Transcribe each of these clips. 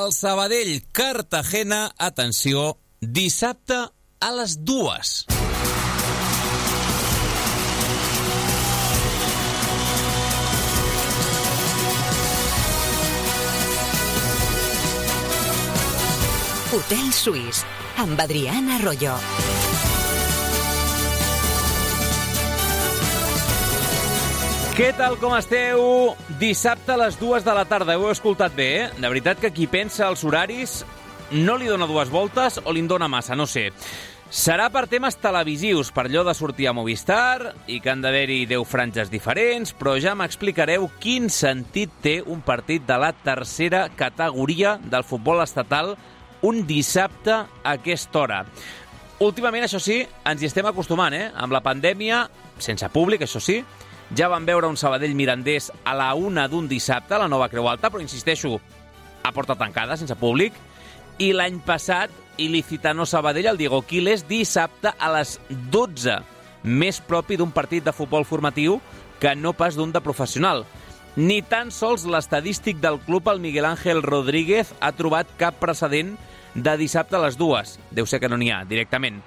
El Sabadell-Cartagena, atenció, dissabte a les 2. Hotel Suís, amb Adrián Arroyo. Què tal, com esteu? Dissabte a les 2 de la tarda. Ho heu escoltat bé, eh? De veritat que qui pensa els horaris no li dona dues voltes o li en dona massa, no sé. Serà per temes televisius, per allò de sortir a Movistar i que han d'haver-hi 10 franges diferents, però ja m'explicareu quin sentit té un partit de la tercera categoria del futbol estatal un dissabte a aquesta hora. Últimament, això sí, ens hi estem acostumant, eh? Amb la pandèmia, sense públic, això sí, ja vam veure un Sabadell-Mirandés a la 1 d'un dissabte, a la Nova Creu Alta, però insisteixo, a porta tancada, sense públic. I l'any passat, Ilicitano-Sabadell, el Diego Quiles, dissabte a les 12, més propi d'un partit de futbol formatiu que no pas d'un de professional. Ni tan sols l'estadístic del club, el Miguel Ángel Rodríguez, ha trobat cap precedent de dissabte a les 2. Deu ser que no n'hi ha, directament.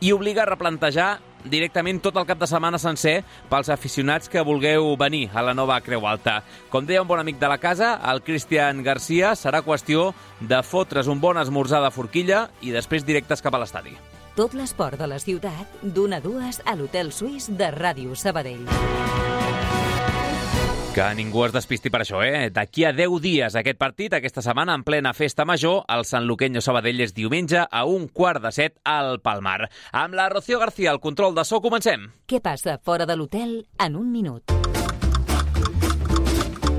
I obliga a replantejar directament tot el cap de setmana sencer pels aficionats que vulgueu venir a la Nova Creu Alta. Com deia un bon amic de la casa, el Cristian Garcia, serà qüestió de fotre's un bon esmorzar de forquilla i després directes cap a l'estadi. Tot l'esport de la ciutat, d'1 a 2 a l'Hotel Suís de Ràdio Sabadell. Que ningú es despisti per això, eh? D'aquí a 10 dies aquest partit, aquesta setmana en plena festa major, el Sanluqueño Sabadell és diumenge a 6:45 al Palmar. Amb la Rocío García, al control de so, comencem. Què passa fora de l'hotel en un minut?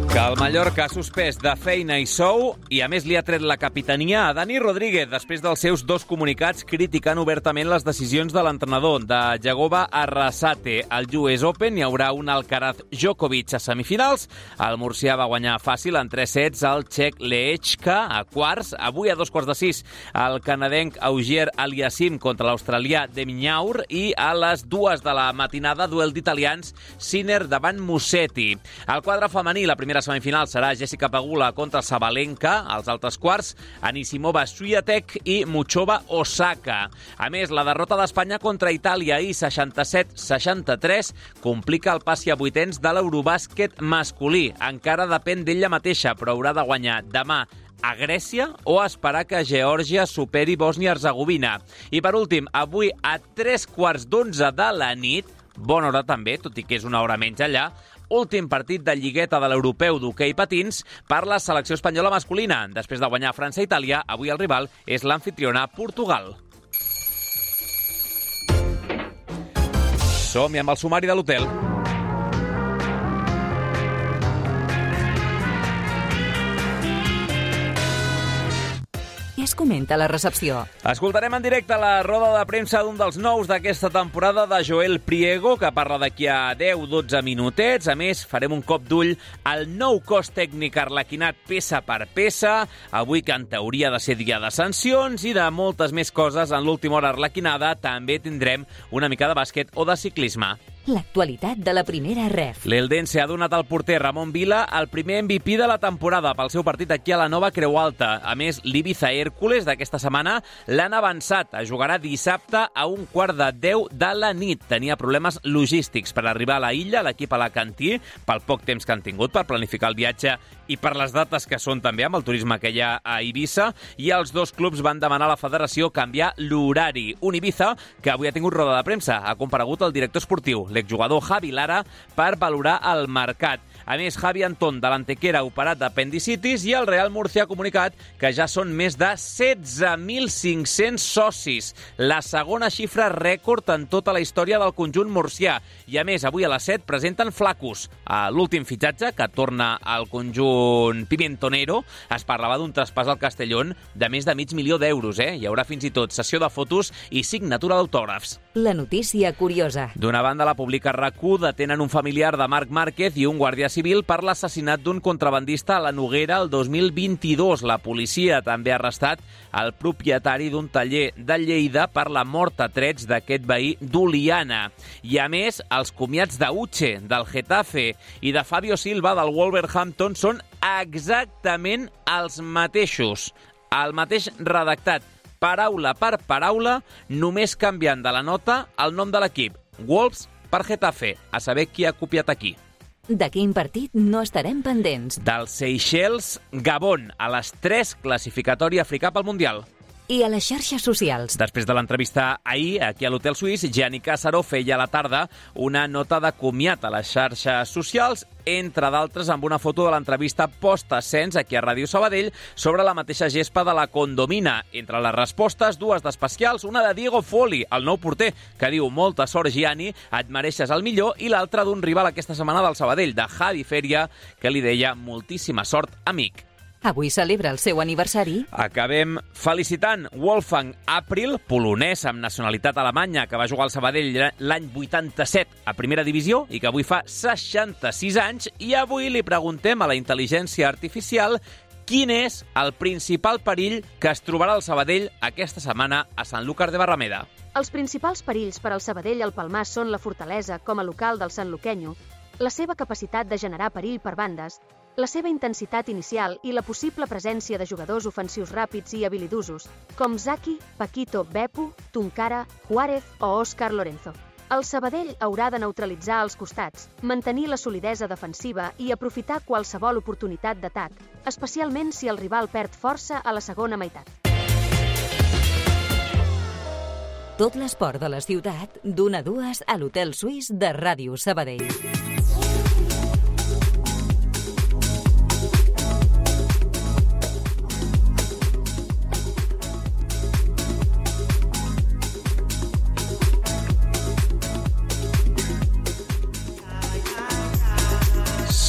Que el Mallorca ha suspès de feina i sou i a més li ha tret la capitania a Dani Rodríguez després dels seus 2 comunicats criticant obertament les decisions de l'entrenador. De Jagoba Arrasate al US Open hi haurà un Alcaraz Djokovic a semifinals. El murcià va guanyar fàcil en 3 sets al txec Lehečka a quarts. Avui a 5:45 el canadenc Auger Aliassime contra l'australià Demignaur i a les 2 de la matinada duel d'italians Sinner davant Musetti. Al quadre femení la primera semifinal serà Jessica Pegula contra Sabalenka, als altres quarts Anisimova Swiatek i Muchova Osaka. A més, la derrota d'Espanya contra Itàlia ahir 67-63 complica el passi a vuitens de l'Eurobàsquet masculí. Encara depèn d'ella mateixa, però haurà de guanyar demà a Grècia o esperar que Geòrgia superi Bòsnia-Hercegovina. I per últim, avui a 11:15 de la nit, bona hora també, tot i que és una hora menys allà, últim partit de lligueta de l'europeu d'hoquei patins per la selecció espanyola masculina. Després de guanyar França i Itàlia, avui el rival és l'amfitriona Portugal. Som-hi amb el sumari de l'hotel. Què es comenta a la recepció? Escoltarem en directe la roda de premsa d'un dels nous d'aquesta temporada de Joel Priego, que parla d'aquí a 10-12 minutets. A més, farem un cop d'ull al nou cos tècnic arlequinat peça per peça, avui que en teoria ha de ser dia de sancions i de moltes més coses. En l'última hora arlequinada també tindrem una mica de bàsquet o de ciclisme. L'actualitat de la primera ref. L'Eldense ha donat al porter Ramon Vila el primer MVP de la temporada pel seu partit aquí a la Nova Creu Alta. A més, l'Ibiza Hércules d'aquesta setmana l'han avançat. Jugarà dissabte a 9:45 de la nit. Tenia problemes logístics per arribar a la illa, l'equip alacantí, pel poc temps que han tingut per planificar el viatge i per les dates que són també amb el turisme que hi ha a Eivissa, i els 2 clubs van demanar a la federació canviar l'horari. Un Ibiza que avui ha tingut roda de premsa. Ha comparegut el director esportiu, l'exjugador Javi Lara, per valorar el mercat. A més, Javi Antón, de l'Antequera, operat d'apendicitis, i el Real Murcia ha comunicat que ja són més de 16.500 socis, la segona xifra rècord en tota la història del conjunt murcià. I a més, avui a les 7 presenten Flacus, l'últim fitxatge que torna al conjunt pimentonero. Es parlava d'un traspàs al Castellón de més de $500.000, eh? Hi haurà fins i tot sessió de fotos i signatura d'autògrafs. La notícia curiosa. D'una banda, la publica RAC1, detenen un familiar de Marc Márquez i un guàrdia civil per l'assassinat d'un contrabandista a la Noguera el 2022. La policia també ha arrestat el propietari d'un taller de Lleida per la mort a trets d'aquest veí d'Oliana. I a més, els comiats d'Uche, del Getafe i de Fabio Silva, del Wolverhampton, són exactament els mateixos. El mateix redactat, paraula per paraula, només canviant de la nota el nom de l'equip. Wolves per Getafe, a saber qui ha copiat aquí. De quin partit no estarem pendents? Del Seychelles, Gabon, a les 3, classificatori africà pel Mundial. I a les xarxes socials. Després de l'entrevista ahir, aquí a l'Hotel Suís, Gianni Cassaro feia a la tarda una nota de comiat a les xarxes socials, entre d'altres amb una foto de l'entrevista post-ascens aquí a Ràdio Sabadell sobre la mateixa gespa de la Condomina. Entre les respostes, dues d'especials, una de Diego Foli, el nou porter, que diu molta sort, Gianni, et mereixes el millor, i l'altra d'un rival aquesta setmana del Sabadell, de Javi Feria, que li deia moltíssima sort, amic. Avui celebra el seu aniversari. Acabem felicitant Wolfgang April, polonès amb nacionalitat alemanya, que va jugar al Sabadell l'any 87 a primera divisió i que avui fa 66 anys. I avui li preguntem a la intel·ligència artificial quin és el principal perill que es trobarà al Sabadell aquesta setmana a Sanlúcar de Barrameda. Els principals perills per al Sabadell al Palmar són la fortalesa com a local del sanluquenyo, la seva capacitat de generar perill per bandes, la seva intensitat inicial i la possible presència de jugadors ofensius ràpids i habilidosos, com Zaki, Paquito, Beppu, Tunkara, Juárez o Óscar Lorenzo. El Sabadell haurà de neutralitzar els costats, mantenir la solidesa defensiva i aprofitar qualsevol oportunitat d'atac, especialment si el rival perd força a la segona meitat. Tot l'esport de la ciutat, d'1 a 2 a l'Hotel Suís de Ràdio Sabadell.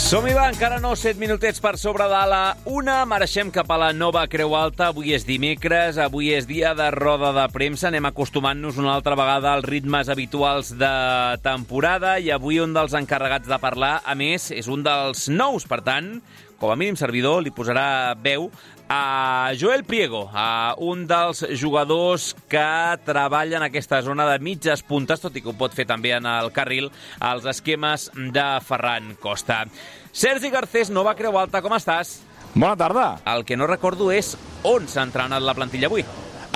Som-hi, va, encara no, 7 minutets per sobre de la 1. Marxem cap a la nova Creu Alta. Avui és dimecres, avui és dia de roda de premsa. Anem acostumant-nos una altra vegada als ritmes habituals de temporada i avui un dels encarregats de parlar, a més, és un dels nous. Per tant, com a mínim servidor, li posarà veu a Joel Priego, a un dels jugadors que treballa en aquesta zona de mitges puntes, tot i que ho pot fer també en el carril, als esquemes de Ferran Costa. Sergi Garcés, nova Creu Alta, com estàs? Bona tarda. El que no recordo és on s'ha entrenat la plantilla avui.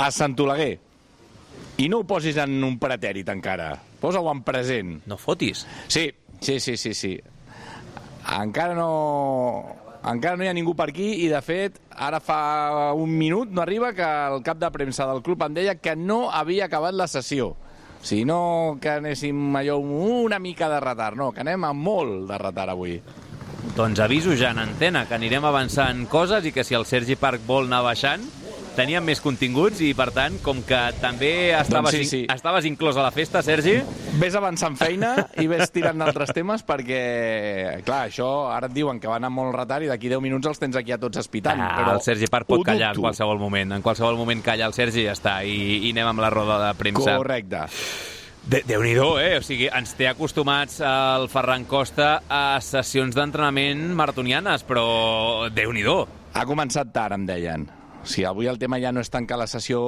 A Sant Oleguer. I no ho posis en un pretèrit encara. Posa-ho en present. No fotis. Sí. Encara no hi ha ningú per aquí i, de fet, ara fa un minut no arriba que el cap de premsa del club em deia que no havia acabat la sessió. O sigui, no que anéssim allò una mica de retard, no, que anem amb molt de retard avui. Doncs aviso ja en antena que anirem avançant coses i que si el Sergi Parc vol anar baixant, teníem més continguts i, per tant, com que també estaves inclòs a la festa, Sergi... Ves avançant feina i ves tirant d'altres temes perquè, clar, això ara et diuen que va anar molt retard i d'aquí 10 minuts els tens aquí a tots espitant. Però el Sergi Parc pot callar en qualsevol moment. En qualsevol moment calla el Sergi i ja està. I anem amb la roda de premsa. Correcte. Déu-n'hi-do, O sigui, ens té acostumats el Ferran Costa a sessions d'entrenament maratonianes, però Déu-n'hi-do. Ha començat tard, em deien. O sigui, avui el tema ja no és tant que la sessió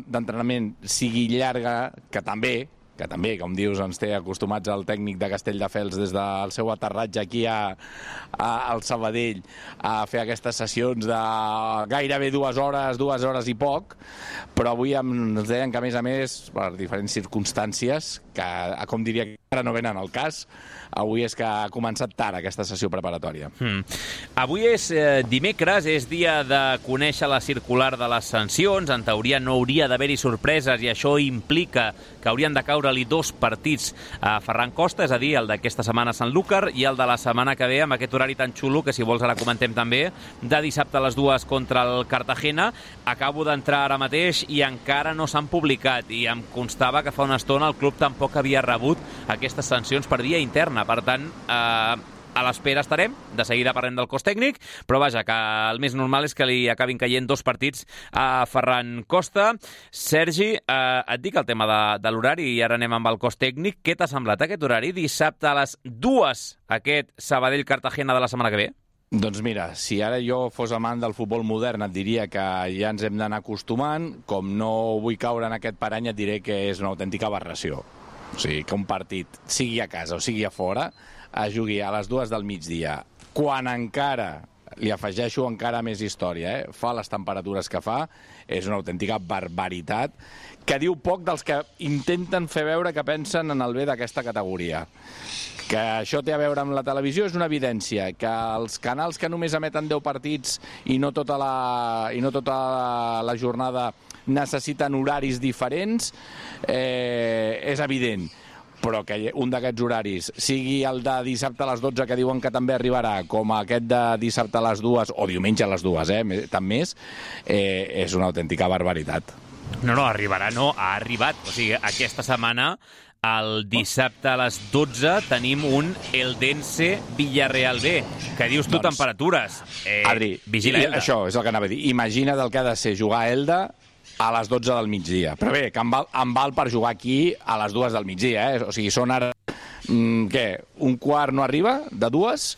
d'entrenament sigui llarga, que també, com dius, ens té acostumats el tècnic de Castelldefels des del seu aterratge aquí al Sabadell a fer aquestes sessions de gairebé 2 hores i poc, però avui ens deien que, a més, per diferents circumstàncies, que, com diria, que ara no venen al cas, avui és que ha començat tard aquesta sessió preparatòria. Avui és dimecres, és dia de conèixer la circular de les sancions. En teoria no hauria d'haver-hi sorpreses i això implica que haurien de caure-li 2 partits a Ferran Costa, és a dir, el d'aquesta setmana a Sanlúcar i el de la setmana que ve amb aquest horari tan xulo que, si vols, ara comentem també, de dissabte a les 2 contra el Cartagena. Acabo d'entrar ara mateix i encara no s'han publicat i em constava que fa una estona el club tampoc havia rebut aquestes sancions per via interna. Per tant, a l'espera estarem, de seguida parlem del cos tècnic, però vaja, que el més normal és que li acabin caient 2 partits a Ferran Costa. Sergi, et dic el tema de l'horari i ara anem amb el cos tècnic. Què t'ha semblat aquest horari? Dissabte a les 2, aquest Sabadell-Cartagena de la setmana que ve? Doncs mira, si ara jo fos amant del futbol modern et diria que ja ens hem d'anar acostumant. Com no vull caure en aquest parany et diré que és una autèntica aberració. O sigui, que un partit, sigui a casa o sigui a fora, es jugui a les 2 del migdia, quan encara li afegeixo encara més història, fa les temperatures que fa, és una autèntica barbaritat, que diu poc dels que intenten fer veure que pensen en el bé d'aquesta categoria. Que això té a veure amb la televisió és una evidència, que els canals que només emeten 10 partits i no tota la jornada necessiten horaris diferents, és evident. Però que un d'aquests horaris sigui el de dissabte a les 12, que diuen que també arribarà, com aquest de dissabte a les 2, o diumenge a les 2, tant més, és una autèntica barbaritat. No, arribarà, no, ha arribat. O sigui, aquesta setmana, el dissabte a les 12, tenim un Eldense Villarreal B. Que dius tu, temperatures? Adri, vigila Elda. Això és el que anava a dir. Imagina't el que ha de ser jugar a Elda a les 12 del migdia. Però bé, que em val per jugar aquí a les 2 del migdia, O sigui, són ara... Un quart no arriba, de 2,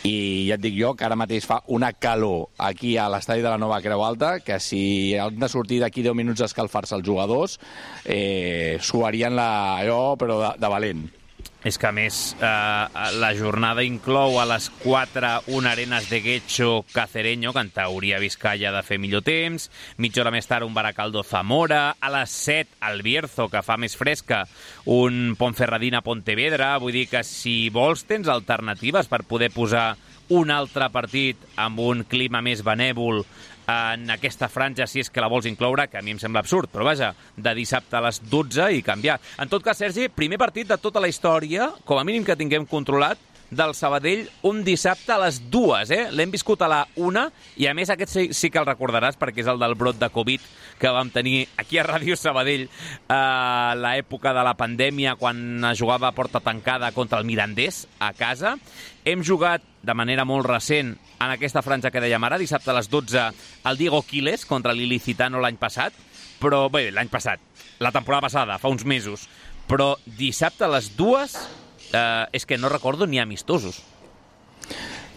i ja et dic jo que ara mateix fa una calor aquí a l'estadi de la Nova Creu Alta que si han de sortir d'aquí 10 minuts a escalfar-se els jugadors suarien allò però de valent. És que, a més, la jornada inclou a les 4 un Arenas de Guecho Cacereño, que en teoria Vizcaya ha de fer millor temps, mitja hora més tard un Baracaldo Zamora, a les 7 el Bierzo, que fa més fresca, un Ponferradina Pontevedra. Vull dir que si vols tens alternatives per poder posar un altre partit amb un clima més benèvol en aquesta franja, si és que la vols incloure, que a mi em sembla absurd, però vaja, de dissabte a les 12 i canviar. En tot cas, Sergi, primer partit de tota la història, com a mínim que tinguem controlat, del Sabadell un dissabte a les 2, L'hem viscut a la 1, i a més aquest sí que el recordaràs perquè és el del brot de Covid que vam tenir aquí a Ràdio Sabadell a l'època de la pandèmia, quan es jugava a porta tancada contra el Mirandés a casa. Hem jugat de manera molt recent en aquesta franja que dèiem ara, dissabte a les 12, el Diego Quiles contra l'Ilicitano l'any passat, però bé, l'any passat, la temporada passada, fa uns mesos, però dissabte a les 2 és que no recordo ni amistosos.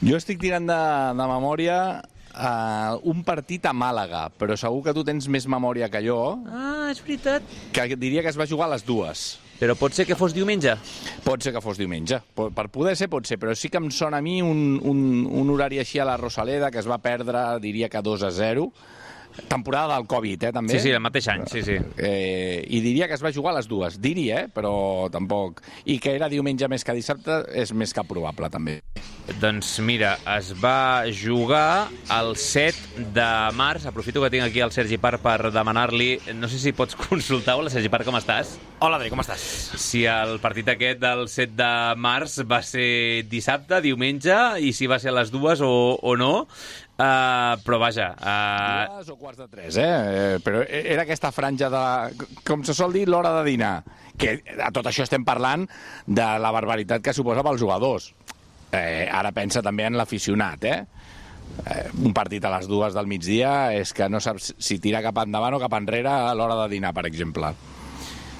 Jo estic tirant de memòria un partit a Màlaga, però segur que tu tens més memòria que jo. Ah, és veritat. Que diria que es va jugar a les 2. Però pot ser que fos diumenge? Pot ser que fos diumenge. Per poder ser, pot ser, però sí que em sona a mi un horari així a la Rosaleda, que es va perdre, diria que 2-0. Temporada del Covid, també. Sí, el mateix any, sí. I diria que es va jugar a les 2. Diria, però tampoc. I que era diumenge més que dissabte és més que probable, també. Doncs mira, es va jugar el 7 de març. Aprofito que tinc aquí el Sergi Parc per demanar-li... No sé si pots consultar. Hola, Sergi Parc, com estàs? Hola, Adri, com estàs? Si el partit aquest del 7 de març va ser dissabte, diumenge, i si va ser a les 2 o no... però vaja... 2 o quarts de 3, però era aquesta franja de... Com se sol dir, l'hora de dinar. Que a tot això estem parlant de la barbaritat que suposa pels jugadors. Ara pensa també en l'aficionat, un partit a les 2 del migdia és que no saps si tira cap endavant o cap enrere a l'hora de dinar, per exemple.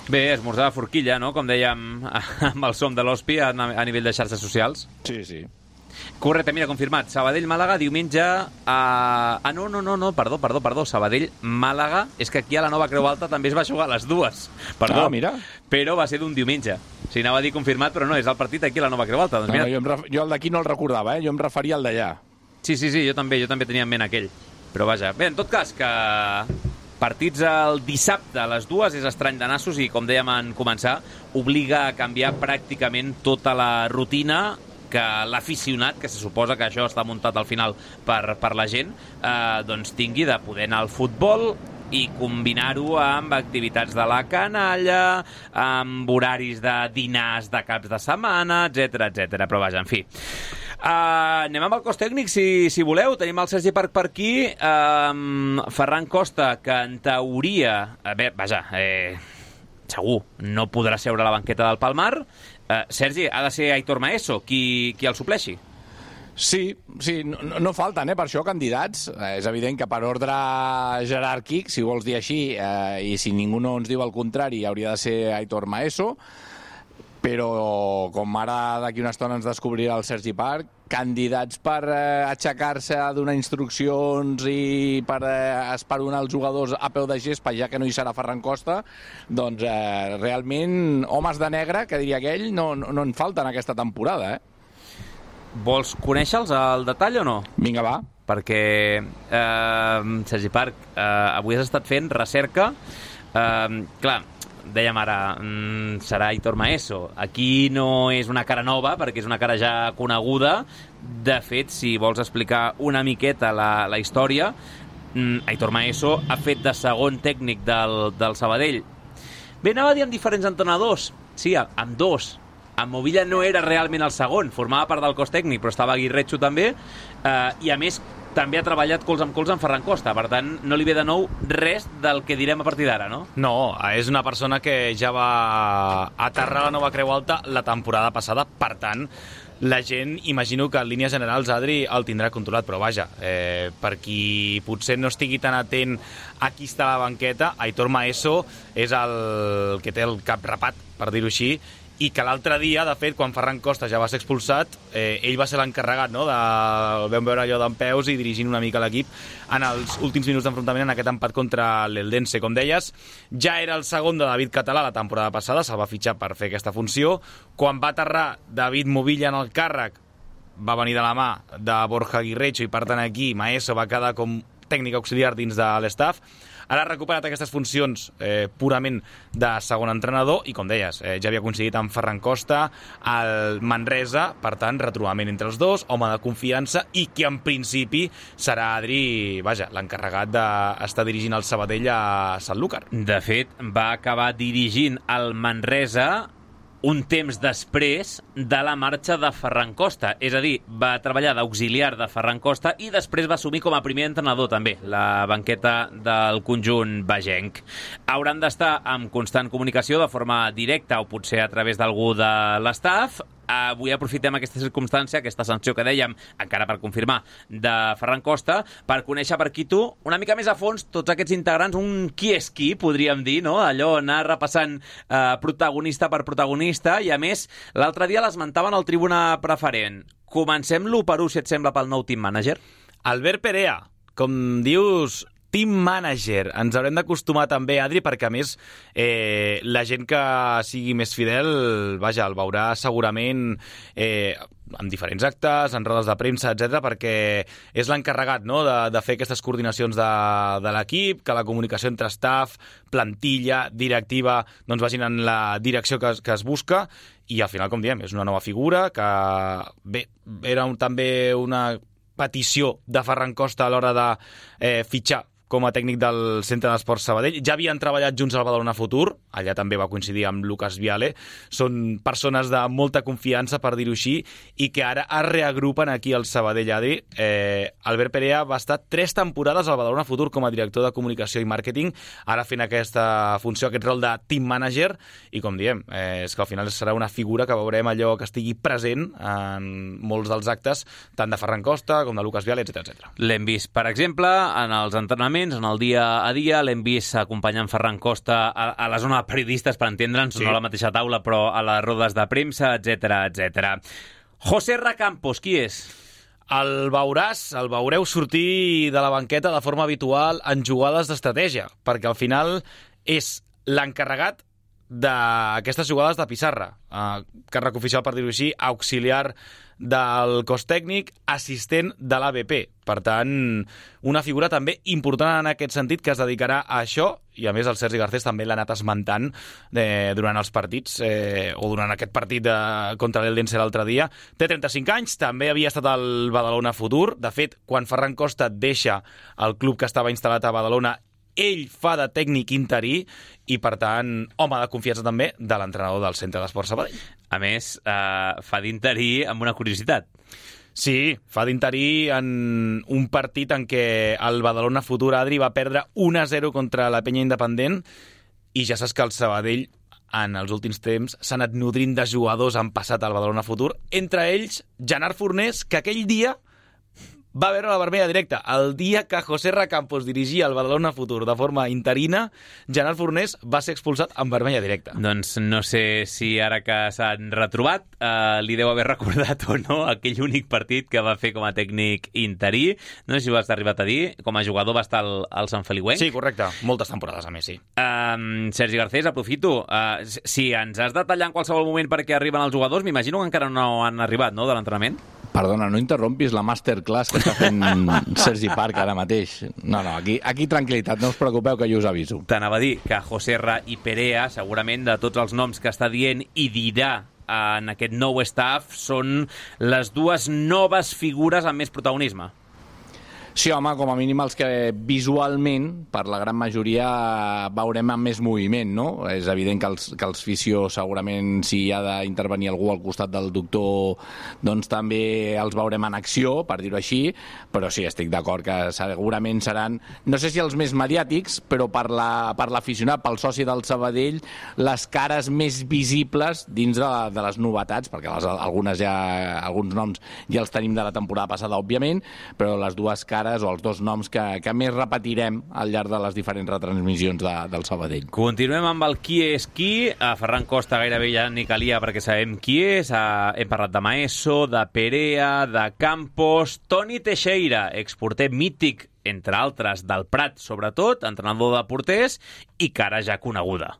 Bé, esmorzar de forquilla, no? Com dèiem amb el som de l'Hospi a nivell de xarxes socials. Sí. Correcte, mira, confirmat. Sabadell-Màlaga, diumenge... No, perdó. Sabadell-Màlaga, és que aquí a la Nova Creu Alta també es va jugar a les 2. Perdó, mira. Però va ser d'un diumenge. Si anava a dir confirmat, però no, és el partit aquí a la Nova Creu Alta. Doncs mira... Jo el d'aquí no el recordava, jo em referia al d'allà. Sí, jo també tenia en ment aquell. Però vaja, bé, en tot cas, que partits el dissabte a les 2 és estrany de nassos i, com dèiem en començar, obliga a canviar pràcticament tota la rutina que l'aficionat, que se suposa que això està muntat al final per la gent, doncs tingui de poder anar al futbol i combinar-ho amb activitats de la canalla, amb horaris de dinars de caps de setmana, etc. Però vaja, en fi. Anem amb el cos tècnic, si voleu. Tenim el Sergi Parc per aquí. Ferran Costa, que en teoria... segur, no podrà seure a la banqueta del Palmar. Sergi, ha de ser Aitor Maeso qui el supleixi? Sí, no falten, per això, candidats. És evident que per ordre jeràrquic, si vols dir així, i si ningú no ens diu el contrari, hauria de ser Aitor Maeso, però com ara d'aquí una estona ens descobrirà el Sergi Parc, candidats per aixecar-se a donar instruccions i per esperonar els jugadors a peu de gespa, ja que no hi serà Ferran Costa, doncs realment homes de negre, que diria aquell, no en falten aquesta temporada, Vols conèixer-los al detall o no? Vinga, va. Perquè, Sergi Parc, avui has estat fent recerca. Clar, dèiem ara, serà Aitor Maeso. Aquí no és una cara nova, perquè és una cara ja coneguda. De fet, si vols explicar una miqueta la història, Aitor Maeso ha fet de segon tècnic del Sabadell. Bé, anava a dir amb diferents entrenadors. Sí, amb dos. En Movilla no era realment el segon, formava part del cos tècnic, però estava Aguirrecho també, i a més també ha treballat colze amb colze amb Ferran Costa, per tant no li ve de nou res del que direm a partir d'ara, no? No, és una persona que ja va aterrar la nova Creu Alta la temporada passada, per tant la gent, imagino que en línies generals Adri el tindrà controlat, però vaja, per qui potser no estigui tan atent a qui està a la banqueta, Aitor Maeso és el que té el cap rapat, per dir-ho així, i que l'altre dia, de fet, quan Ferran Costa ja va ser expulsat, ell va ser l'encarregat, no?, vam veure allò d'en peus i dirigint una mica l'equip en els últims minuts d'enfrontament en aquest empat contra l'Eldense. Com deies, ja era el segon de David Català la temporada passada, se'l va fitxar per fer aquesta funció. Quan va aterrar David Movilla en el càrrec, va venir de la mà de Borja Aguirrecho i, per tant, aquí Maeso va quedar com tècnic auxiliar dins de l'estaf. Ara ha recuperat aquestes funcions purament de segon entrenador i, com deies, ja havia coincidit amb Ferran Costa al Manresa, per tant, retrobament entre els dos, home de confiança i que en principi serà Adri, vaja, l'encarregat d'estar dirigint el Sabadell a Sanlúcar. De fet, va acabar dirigint el Manresa un temps després de la marxa de Ferran Costa. És a dir, va treballar d'auxiliar de Ferran Costa i després va assumir com a primer entrenador també la banqueta del conjunt bagenc. Hauran d'estar en constant comunicació de forma directa o potser a través d'algú de l'estaf. Avui aprofitem aquesta circumstància, aquesta sanció que dèiem, encara per confirmar, de Ferran Costa, per conèixer per aquí tu una mica més a fons tots aquests integrants, un qui és qui, podríem dir, no? Allò, anar repassant protagonista per protagonista, i a més, l'altre dia l'esmentaven al Tribuna Preferent. Comencem l'1-1, si et sembla, pel nou team manager? Albert Perea, com dius, team manager. Ens haurem d'acostumar també, Adri, perquè a més la gent que sigui més fidel, vaja, el veurà segurament en diferents actes, en rodes de premsa, etc, perquè és l'encarregat, no?, de fer aquestes coordinacions de l'equip, que la comunicació entre staff, plantilla, directiva, doncs vagin en la direcció que es busca, i al final, com diem, és una nova figura que, bé, era també una petició de Ferran Costa a l'hora de fitxar com a tècnic del Centre d'Esports Sabadell. Ja havien treballat junts al Badalona Futur, allà també va coincidir amb Lucas Viale. Són persones de molta confiança, per dir-ho així, i que ara es reagrupen aquí al Sabadell, Adri. Albert Perea va estar 3 temporades al Badalona Futur com a director de comunicació i màrqueting, ara fent aquesta funció, aquest rol de team manager, i com diem, és que al final serà una figura que veurem allò que estigui present en molts dels actes, tant de Ferran Costa com de Lucas Viale, etc. L'hem vist, per exemple, en els entrenaments, en el dia a dia, l'hem vist acompanyant Ferran Costa a la zona de periodistes, per entendre'ns, sí, no a la mateixa taula, però a les rodes de premsa, etc. José Campos, qui és? El veureu sortir de la banqueta de forma habitual en jugades d'estratègia, perquè al final és l'encarregat d'aquestes jugades de pissarra, càrrec oficial, per dir-ho així, auxiliar del cos tècnic, assistent de l'ABP. Per tant, una figura també important en aquest sentit, que es dedicarà a això, i a més el Sergi Garcés també l'ha anat esmentant durant els partits, o durant aquest partit contra l'Eldense l'altre dia. Té 35 anys, també havia estat al Badalona Futur. De fet, quan Ferran Costa deixa el club que estava instal·lat a Badalona, ell fa de tècnic interí i, per tant, home de confiança també de l'entrenador del Centre d'Esports Sabadell. A més, fa d'interí amb una curiositat. Sí, fa d'interí en un partit en què el Badalona Futur, Adri, va perdre 1-0 contra la Penya Independent, i ja saps que el Sabadell en els últims temps s'ha anat nodrint de jugadors en passat al Badalona Futur, entre ells Gerard Fornés, que aquell dia va veure la vermella directa. El dia que José Campos dirigia el Badalona Futur de forma interina, Gerard Fornés va ser expulsat amb vermella directa. Doncs no sé si ara que s'han retrobat li deu haver recordat o no aquell únic partit que va fer com a tècnic interí. No sé si ho has arribat a dir. Com a jugador va estar al Sant Feliuenc. Sí, correcte. Moltes temporades, a més, sí. Sergi Garcés, aprofito. Si ens has de tallar en qualsevol moment perquè arriben els jugadors, m'imagino que encara no han arribat, no?, de l'entrenament? Perdona, no interrompis la masterclass que està fent Sergi Parc ara mateix. No, aquí tranquil·litat, no us preocupeu que jo us aviso. T'anava a dir que José Ra i Perea, segurament de tots els noms que està dient i dirà en aquest nou staff, són les dues noves figures amb més protagonisme. Sí, home, com a mínim els que visualment, per la gran majoria, veurem amb més moviment, no? És evident que els fisios, segurament, si hi ha d'intervenir algú al costat del doctor, doncs també els veurem en acció, per dir-ho així, però sí, estic d'acord que segurament seran, no sé si els més mediàtics, però per l'aficionat, pel soci del Sabadell, les cares més visibles dins de les novetats, perquè alguns noms ja els tenim de la temporada passada, òbviament, però les dues cares o els dos noms que més repetirem al llarg de les diferents retransmissions del Sabadell. Continuem amb el qui és qui. A Ferran Costa gairebé ja ni calia perquè sabem qui és. Hem parlat de Maeso, de Perea, de Campos, Toni Teixeira, exporter mític, entre altres, del Prat, sobretot, entrenador de porters i cara ja coneguda.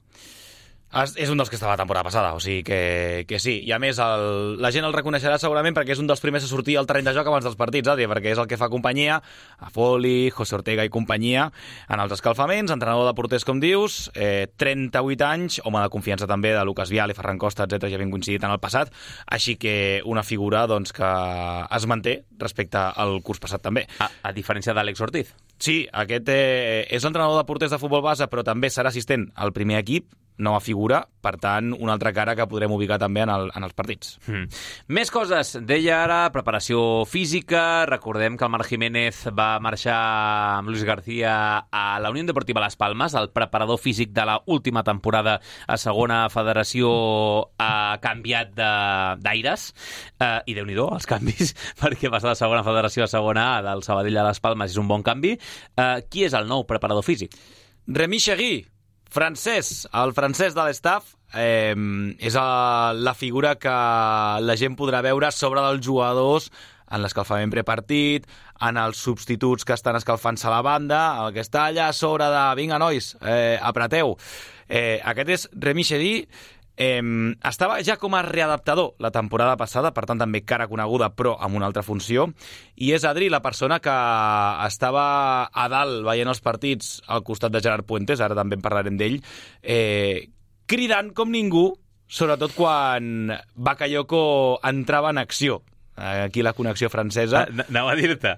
És un dels que estava la temporada passada, o sigui que sí. I a més, la gent el reconeixerà segurament perquè és un dels primers a sortir al terreny de joc abans dels partits, perquè és el que fa companyia a Foli, José Ortega i companyia en els escalfaments, entrenador de porters, com dius, 38 anys, home de confiança també de Lucas Vial i Ferran Costa, etc. ja havien coincidit en el passat, així que una figura doncs, que es manté respecte al curs passat també. A diferència d'Àlex Ortiz. Sí, aquest és l'entrenador de porters de futbol base, però també serà assistent al primer equip, nova figura, per tant, una altra cara que podrem ubicar també en els partits. Més coses. Deia ara, preparació física. Recordem que el Marc Jiménez va marxar amb Luis García a la Unió Deportiva Las Palmas. El preparador físic de la última temporada a segona federació ha canviat d'aires. I Déu-n'hi-do, els canvis, perquè passar de segona federació a segona A del Sabadell a Las Palmas és un bon canvi. Qui és el nou preparador físic? Remy Chegui, francès, el francès de l'estaff, és la figura que la gent podrà veure sobre dels jugadors en l'escalfament prepartit, en els substituts que estan escalfant-se a la banda, el que està allà a sobre de vinga, nois, apreteu. Aquest és Remy Chegui. Estava ja com a readaptador la temporada passada, per tant també cara coneguda però amb una altra funció, i és Adri la persona que estava a dalt veient els partits al costat de Gerard Puentes, ara també en parlarem d'ell, cridant com ningú, sobretot quan Bakayoko entrava en acció. Aquí la connexió francesa. Anava a dir-te,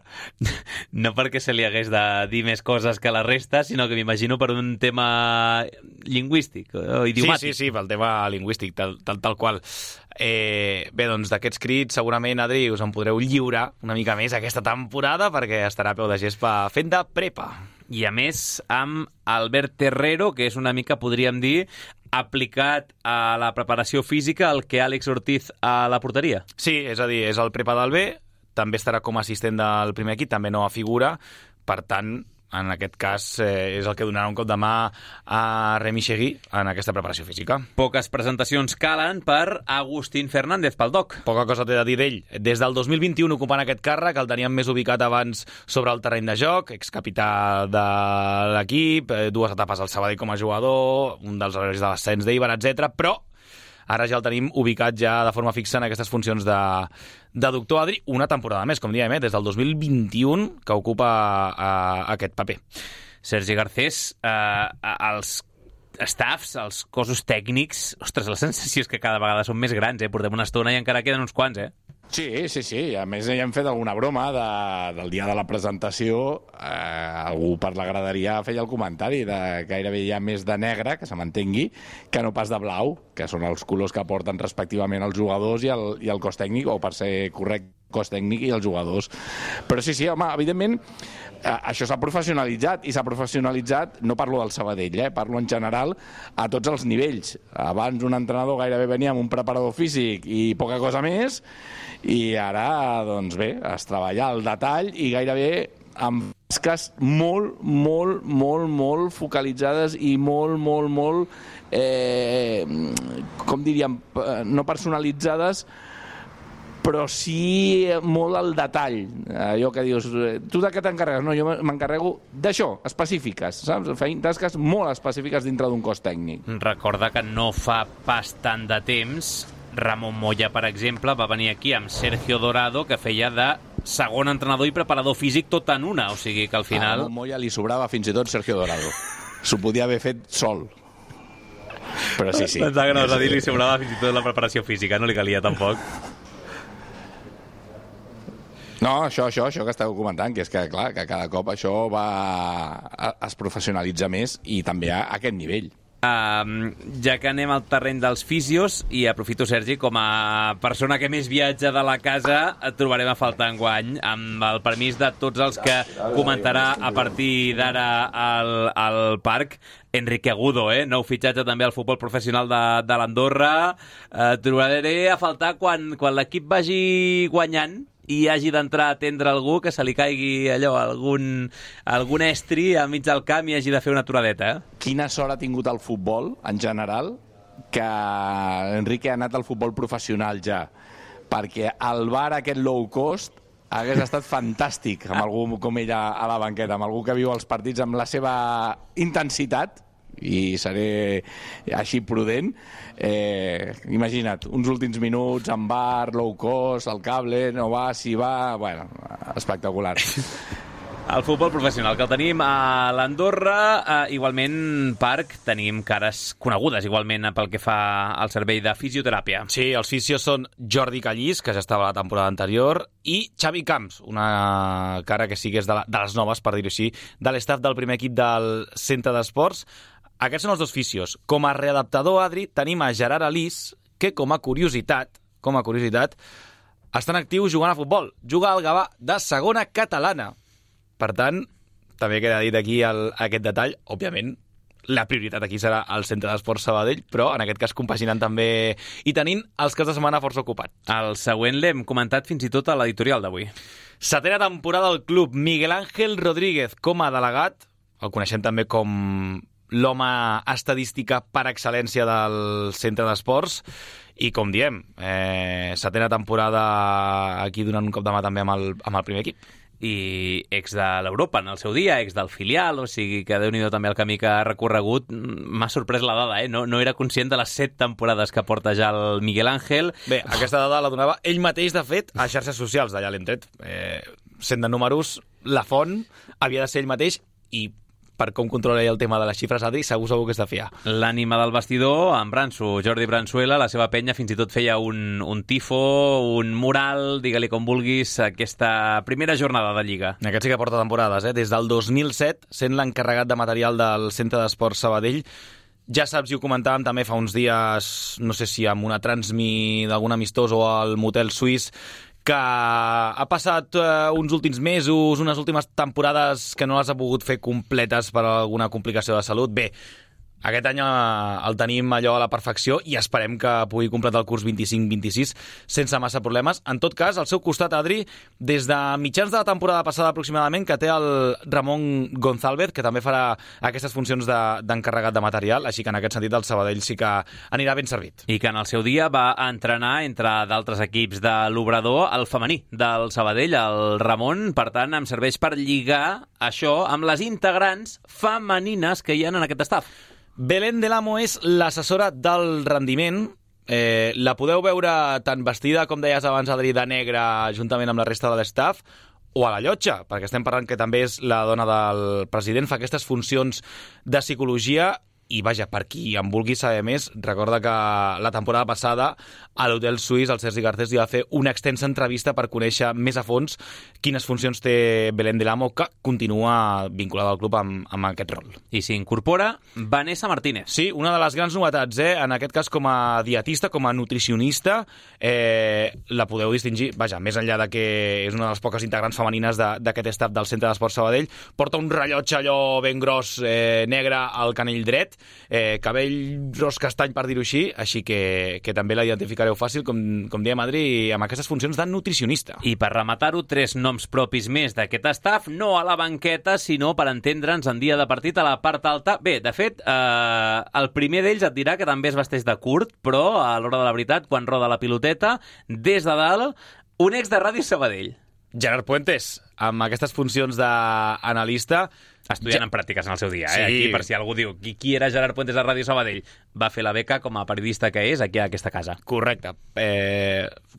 no perquè se li hagués de dir més coses que la resta, sinó que m'imagino per un tema lingüístic o idiomàtic. Sí, pel tema lingüístic, tal qual. Bé, doncs d'aquests crits segurament, Adri, us en podreu lliurar una mica més aquesta temporada perquè estarà a peu de gespa fent de prepa. I a més amb Albert Terrero, que és una mica, podríem dir, aplicat a la preparació física el que Àlex Ortiz a la porteria. Sí, és a dir, és el prepa del B, també estarà com a assistent del primer equip, també nova figura, per tant, en aquest cas és el que donarà un cop de mà a Remy Chegui en aquesta preparació física. Poques presentacions calen per Agustín Fernández, pel DOC. Poca cosa t'he de dir d'ell. Des del 2021 ocupant aquest càrrec, el teníem més ubicat abans sobre el terreny de joc, excapità de l'equip, 2 etapes al Sabadell com a jugador, un dels herois de l'ascens d'Eibar, etc. Però ara ja el tenim ubicat ja de forma fixa en aquestes funcions de doctor Adri, una temporada més, com diem, des del 2021 que ocupa aquest paper. Sergi Garcés, els staffs, els cossos tècnics, ostres, la sensació és que cada vegada són més grans, portem una estona i encara queden uns quants, Sí. A més, ja hem fet alguna broma del dia de la presentació. Algú per la graderia feia el comentari de gairebé hi ha més de negre, que se m'entengui, que no pas de blau, que són els colors que porten respectivament els jugadors i el cos tècnic, o per ser correcte, cos tècnic i els jugadors. Però sí, home, evidentment, això s'ha professionalitzat, i s'ha professionalitzat, no parlo del Sabadell, parlo en general a tots els nivells. Abans un entrenador gairebé venia amb un preparador físic i poca cosa més, i ara, doncs bé, es treballa al detall i gairebé amb tasques molt focalitzades i molt, com diríem, no personalitzades, però sí molt al detall. Allò que dius, tu de què t'encarregues? No, jo m'encarrego d'això, específiques, saps? Feien tasques molt específiques dintre d'un cos tècnic. Recorda que no fa pas tant de temps Ramon Moya, per exemple, va venir aquí amb Sergio Dorado, que feia de segon entrenador i preparador físic tot en una, o sigui que al final... A Ramon Moya li sobrava fins i tot Sergio Dorado. S'ho podia haver fet sol. Però sí. Pensava que no vas a dir li sobrava fins i tot la preparació física, no li calia tampoc. No, això que esteu comentant, que és que, clar, que cada cop això es professionalitza més i també a aquest nivell. Ja que anem al terreny dels fisios, i aprofito, Sergi, com a persona que més viatja de la casa, et trobarem a faltar enguany, amb el permís de tots els que comentarà a partir d'ara al parc. Enrique Agudo, nou fitxatge també al futbol professional de l'Andorra. Trobaré a faltar quan l'equip vagi guanyant i hagi d'entrar a atendre algú, que se li caigui allò, algun estri a mig del camp i hagi de fer una aturadeta. Quina sort ha tingut el futbol, en general, que Enrique ha anat al futbol professional ja, perquè el bar aquest low cost hagués estat fantàstic amb algú com ell a la banqueta, amb algú que viu els partits amb la seva intensitat, i seré així prudent. Imagina't, uns últims minuts amb bar, low cost, el cable, no va, si va... Bueno, espectacular. El futbol professional, que el tenim a l'Andorra, igualment, Parc, tenim cares conegudes, igualment, pel que fa al servei de fisioteràpia. Sí, els fisios són Jordi Callís, que ja estava a la temporada anterior, i Xavi Camps, una cara que sí que és de les noves, per dir-ho així, de l'estaf del primer equip del Centre d'Esports. Aquests són els dos fisios. Com a readaptador, Adri, tenim a Gerard Alís, que com a curiositat, està en actiu jugant a futbol. Juga al Gavà de segona catalana. Per tant, també queda dit aquí aquest detall. Òbviament, la prioritat aquí serà el Centre d'Esports Sabadell, però en aquest cas compaginant també i tenint els caps de setmana força ocupats. El següent l'hem comentat fins i tot a l'editorial d'avui. Setena temporada del club. Miguel Ángel Rodríguez com a delegat. El coneixem també com l'home estadística per excel·lència del Centre d'Esports. I com diem, setena temporada aquí donant un cop de mà també amb el primer equip. I ex de l'Europa en el seu dia, ex del filial, o sigui que Déu-n'hi-do també el camí que ha recorregut. M'ha sorprès la dada, no era conscient de les 7 temporades que porta ja el Miguel Ángel. Bé, aquesta dada la donava ell mateix, de fet, a xarxes socials, d'allà l'hem tret. Sent de números, la font havia de ser ell mateix i per com controla el tema de les xifres, Adri, segur que és de fiar. L'ànima del vestidor, en Branso, Jordi Bransuela, la seva penya fins i tot feia un tifo, un mural, digue-li com vulguis, aquesta primera jornada de Lliga. Aquest sí que porta temporades, des del 2007, sent l'encarregat de material del Centre d'Esports Sabadell. Ja saps, i ho comentàvem també fa uns dies, no sé si amb una transmi d'algun amistós o al motel suís, que ha passat uns últims mesos, unes últimes temporades que no les ha pogut fer completes per alguna complicació de salut. Bé, aquest any el tenim allò a la perfecció i esperem que pugui completar el curs 25-26 sense massa problemes. En tot cas, al seu costat, Adri, des de mitjans de la temporada passada aproximadament, que té el Ramon González, que també farà aquestes funcions d'encarregat de material, així que en aquest sentit el Sabadell sí que anirà ben servit. I que en el seu dia va entrenar, entre d'altres equips de l'Obrador, el femení del Sabadell, el Ramon. Per tant, em serveix per lligar això amb les integrants femenines que hi ha en aquest estaf. Belén del Amo és l'assessora del rendiment. La podeu veure tant vestida, com deies abans, Adri, de negre, juntament amb la resta de l'estaf, o a la llotja, perquè estem parlant que també és la dona del president, fa aquestes funcions de psicologia. I vaja, per qui en vulgui saber més, recorda que la temporada passada a l'Hotel Suís el Sergi Garcés li va fer una extensa entrevista per conèixer més a fons quines funcions té Belén del Amo, que continua vinculada al club amb aquest rol. I s'incorpora Vanessa Martínez. Sí, una de les grans novetats, en aquest cas com a dietista, com a nutricionista, la podeu distingir, vaja, més enllà de que és una de les poques integrants femenines d'aquest staff del Centre d'Esports Sabadell, porta un rellotge allò ben gros, negre al canell dret, cabell ros castany, per dir-ho així que també la identificareu fàcil, com diem, Adri, amb aquestes funcions de nutricionista. I per rematar-ho, 3 noms propis més d'aquest staff, no a la banqueta, sinó per entendre'ns en dia de partit a la part alta. Bé, de fet, el primer d'ells et dirà que també es vesteix de curt, però a l'hora de la veritat, quan roda la piloteta, des de dalt, un ex de Ràdio Sabadell. Gerard Puentes, amb aquestes funcions d'analista, Estudiant en pràctiques en el seu dia, Sí. Aquí, per si algú diu qui era Gerard Puentes a Ràdio Sabadell. Va fer la beca com a periodista que és aquí a aquesta casa. Correcte.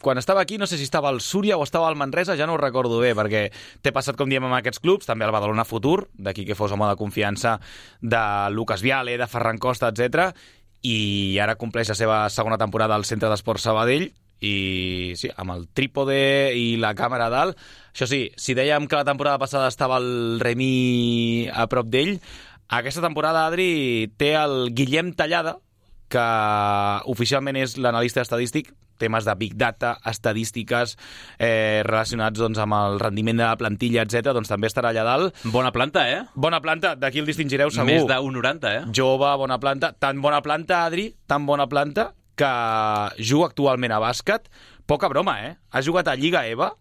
Quan estava aquí, no sé si estava al Súria o estava al Manresa, ja no ho recordo bé, perquè t'he passat, com diem, amb aquests clubs, també al Badalona Futur, d'aquí que fos home de confiança de Lucas Viale, de Ferran Costa, etc. I ara compleix la seva segona temporada al Centre d'Esports Sabadell, i sí, amb el trípode i la càmera a dalt. Això sí, si dèiem que la temporada passada estava el Remi a prop d'ell, aquesta temporada, Adri, té el Guillem Tallada, que oficialment és l'analista estadístic, temes de Big Data, estadístiques relacionats doncs, amb el rendiment de la plantilla, etc. Doncs també estarà allà dalt. Bona planta, Bona planta, d'aquí el distingireu segur. Més de 1,90, Jove, bona planta. Tan bona planta, Adri, tan bona planta, que juga actualment a bàsquet. Poca broma, Ha jugat a Lliga EVA,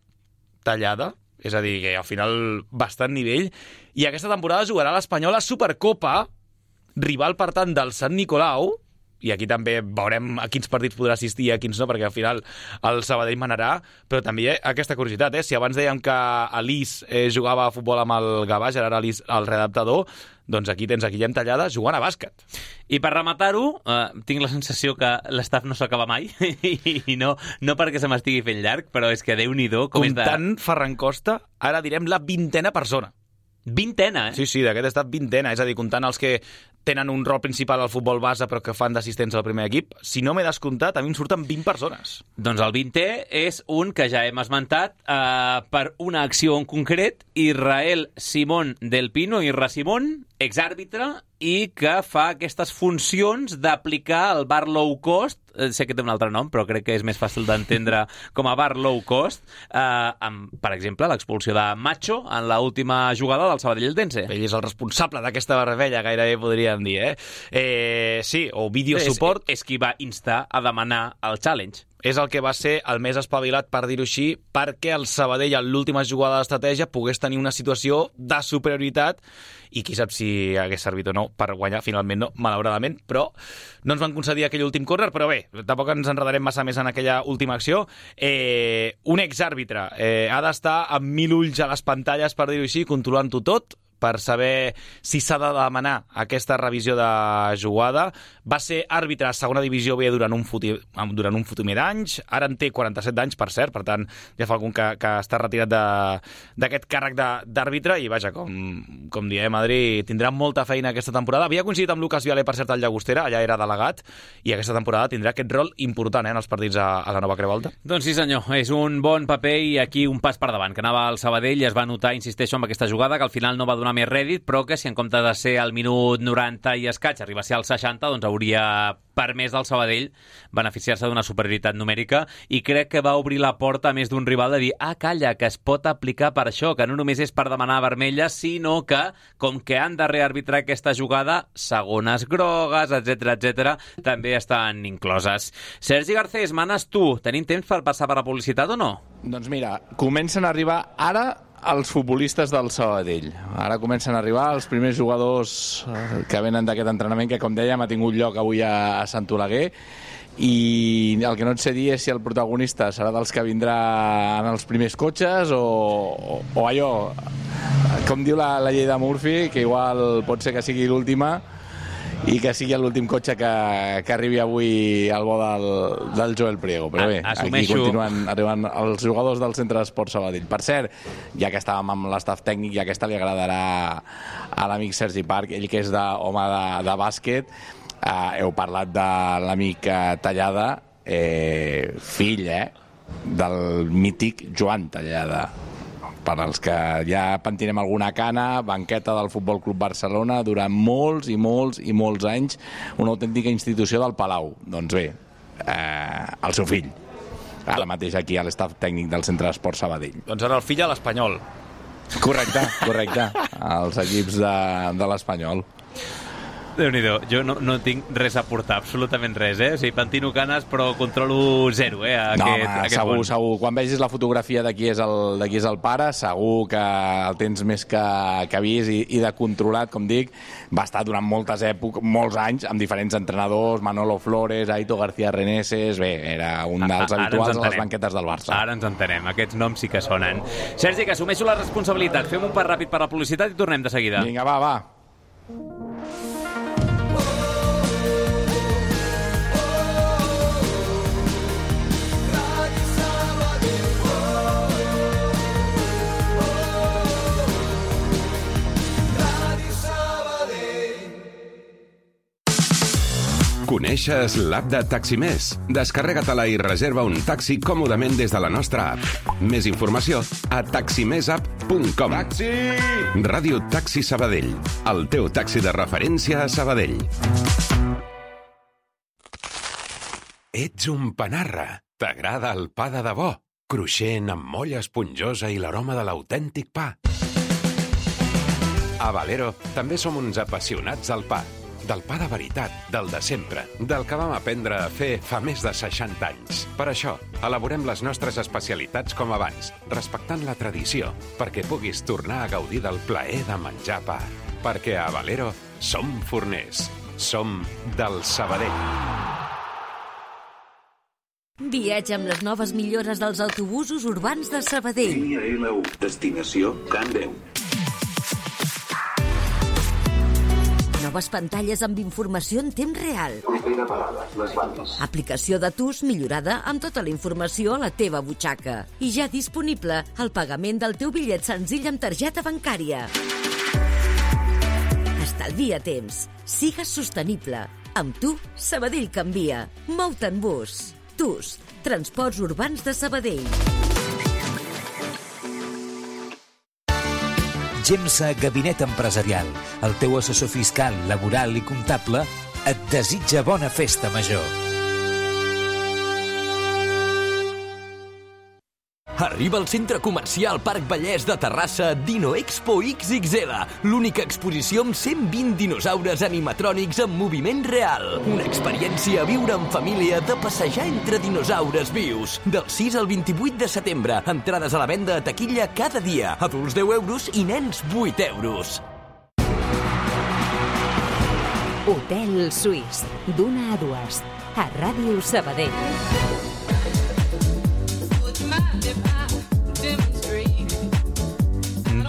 Tallada, és a dir, que al final bastant nivell, i aquesta temporada jugarà a l'Espanyola Supercopa, rival, per tant, del Sant Nicolau, i aquí també veurem a quins partits podrà assistir i a quins no, perquè al final el Sabadell manarà, però també aquesta curiositat, si abans dèiem que Alís jugava a futbol amb el Gavà, Gerard Alís, el redactador, doncs aquí tens a Guillem Tallada jugant a bàsquet. I per rematar-ho, tinc la sensació que l'estaf no s'acaba mai, i no perquè se m'estigui fent llarg, però és que Déu-n'hi-do com Comptant Ferran Costa, ara direm la 20a persona. 20a, Sí, d'aquest estat 20a, és a dir, comptant els que tenen un rol principal al futbol base però que fan d'assistents al primer equip, si no m'he descomptat, a mi em surten 20 persones. Doncs el 20è és un que ja hem esmentat per una acció en concret, Israel Simón del Pino, Irra Simón, exàrbitre, i que fa aquestes funcions d'aplicar el bar low cost, sé que té un altre nom, però crec que és més fàcil d'entendre com a bar low cost, amb, per exemple, l'expulsió de Macho en l'última jugada del Sabadell-Eldense. Ell és el responsable d'aquesta barbella, gairebé podríem dir, sí, o video support. És qui va instar a demanar el challenge. És el que va ser el més espavilat, per dir-ho així, perquè el Sabadell, en l'última jugada d'estratègia, pogués tenir una situació de superioritat, i qui sap si hagués servit o no per guanyar, finalment no, malauradament, però no ens van concedir aquell últim córner, però bé, tampoc ens enredarem massa més en aquella última acció. Un exàrbitre ha d'estar amb 1000 ulls a les pantalles, per dir-ho així, controlant-ho tot, per saber si s'ha de demanar aquesta revisió de jugada. Va ser àrbitre a segona divisió B durant un fotimer d'anys, ara en té 47 d'anys, per cert, per tant, ja fa algun que està retirat d'aquest càrrec d'àrbitre, i vaja, com diem, Adri, tindrà molta feina aquesta temporada. Havia coincidit amb Lucas Viale, per cert, al Llagostera, allà era delegat, i aquesta temporada tindrà aquest rol important en els partits a la nova Creu Alta. Doncs sí, senyor, és un bon paper i aquí un pas per davant, que anava al Sabadell i es va notar, insisteixo, amb aquesta jugada, que al final no va donar més rèdit, però que si en comptes de ser al minut 90 i escaig arriba a ser al 60, doncs hauria permès del Sabadell beneficiar-se d'una superioritat numèrica, i crec que va obrir la porta a més d'un rival de dir, calla, que es pot aplicar per això, que no només és per demanar vermella, sinó que, com que han de rearbitrar aquesta jugada, segones grogues, etc, també estan incloses. Sergi Garcés, manes tu. Tenim temps per passar per la publicitat o no? Doncs mira, comencen a arribar ara els futbolistes del Sabadell. Ara comencen a arribar els primers jugadors que venen d'aquest entrenament, que, com dèiem, ha tingut lloc avui a Sant Oleguer, i el que no et sé dir és si el protagonista serà dels que vindrà en els primers cotxes o allò, com diu la llei de Murphy, que igual pot ser que sigui l'última i que sigui l'últim cotxe que arribi avui al bo del Joel Priego. Però bé, aquí continuen arribant els jugadors del Centre d'Esports Sabadell. Per cert, ja que estàvem amb l'estaf tècnic, i aquesta li agradarà a l'amic Sergi Parc, ell que és home de bàsquet, heu parlat de l'amic Tallada, fill del mític Joan Tallada. Per als que ja pentinem alguna cana, banqueta del Futbol Club Barcelona durant molts i molts i molts anys, una autèntica institució del Palau. Doncs bé, el seu fill, ara mateix aquí a l'estaf tècnic del Centre d'Esports Sabadell. Doncs ara el fill a l'Espanyol. Correcte, als equips de l'Espanyol. Déu-n'hi-do, jo no tinc res a portar, absolutament res, O sigui, pentino canes, però controlo zero, Segur. Quan vegis la fotografia de qui és el pare, segur que el tens més que vist i de controlat, com dic. Va estar durant molts anys, amb diferents entrenadors, Manolo Flores, Aito García Reneses... Bé, era un dels habituals a les banquetes del Barça. Ara ens entenem, aquests noms sí que sonen. Sergi, que assumeixo la responsabilitat. Fem un pas ràpid per la publicitat i tornem de seguida. Vinga, va. Coneixes l'app de Taximés? Descarrega-te-la i reserva un taxi còmodament des de la nostra app. Més informació a taximesapp.com. Taxi! Ràdio Taxi Sabadell, el teu taxi de referència a Sabadell. Ets un panarra. T'agrada el pa de debò? Cruixent, amb molla esponjosa i l'aroma de l'autèntic pa. A Valero també som uns apassionats del pa. Del pa de veritat, del de sempre, del que vam aprendre a fer fa més de 60 anys. Per això, elaborem les nostres especialitats com abans, respectant la tradició, perquè puguis tornar a gaudir del plaer de menjar pa. Perquè a Valero som forners, som del Sabadell. Viatja amb les noves millores dels autobusos urbans de Sabadell. Línia L1, destinació Can Déu. Noves pantalles amb informació en temps real. Propera parada, les bandes. Aplicació de TUS millorada amb tota la informació a la teva butxaca. I ja disponible el pagament del teu bitllet senzill amb targeta bancària. Estalvia temps. Sigues sostenible. Amb tu, Sabadell canvia. Mou-te en bus. TUS, Transports Urbans de Sabadell. GEMSA Gabinet Empresarial, el teu assessor fiscal, laboral i comptable, et desitja bona festa major. Arriba al centre comercial Parc Vallès de Terrassa Dino Expo XXL, l'única exposició amb 120 dinosaures animatrònics en moviment real. Una experiència a viure en família de passejar entre dinosaures vius. Del 6 al 28 de setembre, entrades a la venda a taquilla cada dia. Adults 10 euros i nens 8 euros. Hotel Suís, d'1 a 2, a Ràdio Sabadell.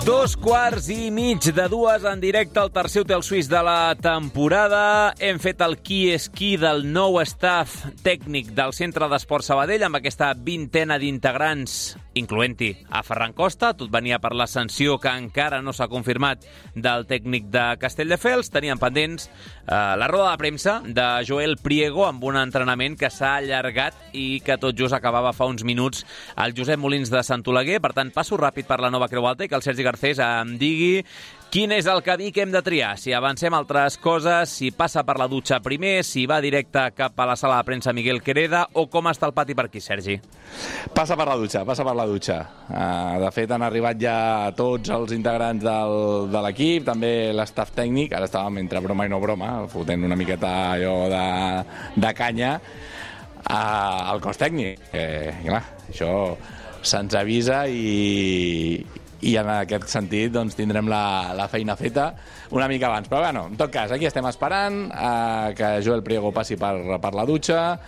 2:15 en directe al tercer hotel suís de la temporada. Hem fet el qui és qui del nou staff tècnic del Centre d'Esport Sabadell amb aquesta vintena d'integrants, incloent-hi a Ferran Costa. Tot venia per l'ascensió que encara no s'ha confirmat del tècnic de Castelldefels. Teníem pendents la roda de premsa de Joel Priego amb un entrenament que s'ha allargat i que tot just acabava fa uns minuts el Josep Molins de Sant Oleguer. Per tant, passo ràpid per la nova Creu Alta i que el Sergi Garcés em digui quin és el camí que hem de triar, si avancem altres coses, si passa per la dutxa primer, si va directe cap a la sala de premsa Miguel Quereda o com està el pati per aquí, Sergi? Passa per la dutxa. De fet, han arribat ja tots els integrants de l'equip, també l'estaf tècnic, ara estàvem entre broma i no broma, fotent una miqueta allò de canya al cos tècnic. Clar, això se'ns avisa i en aquest sentit doncs, tindrem la feina feta una mica abans. Però bueno, en tot cas, aquí estem esperant que Joel Priego passi per la dutxa,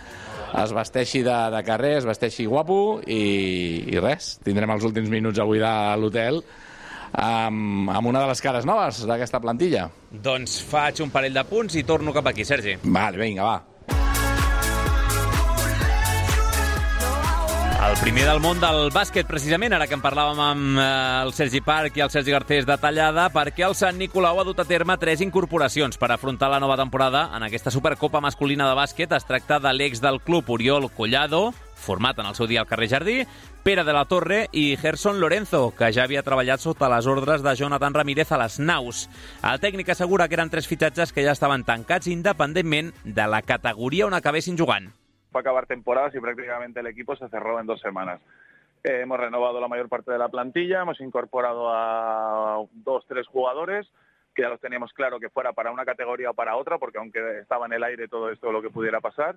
es vesteixi de carrer, es vesteixi guapo i res, tindrem els últims minuts avui de l'hotel amb una de les cares noves d'aquesta plantilla. Doncs faig un parell de punts i torno cap aquí, Sergi. Vale, vinga, va. El primer del món del bàsquet, precisament, ara que en parlàvem amb el Sergi Parc i el Sergi Garcés detallada, perquè el Sant Nicolau ha dut a terme 3 incorporacions per afrontar la nova temporada en aquesta Supercopa masculina de bàsquet. Es tracta de l'ex del club Oriol Collado, format en el seu dia al carrer Jardí, Pere de la Torre i Gerson Lorenzo, que ja havia treballat sota les ordres de Jonathan Ramírez a les Naus. El tècnic assegura que eren 3 fitxatges que ja estaven tancats independentment de la categoria on acabessin jugant. Fue acabar temporadas y prácticamente el equipo se cerró en 2 semanas. Hemos renovado la mayor parte de la plantilla, hemos incorporado a 2-3 jugadores, que ya los teníamos claro que fuera para una categoría o para otra, porque aunque estaba en el aire todo esto lo que pudiera pasar.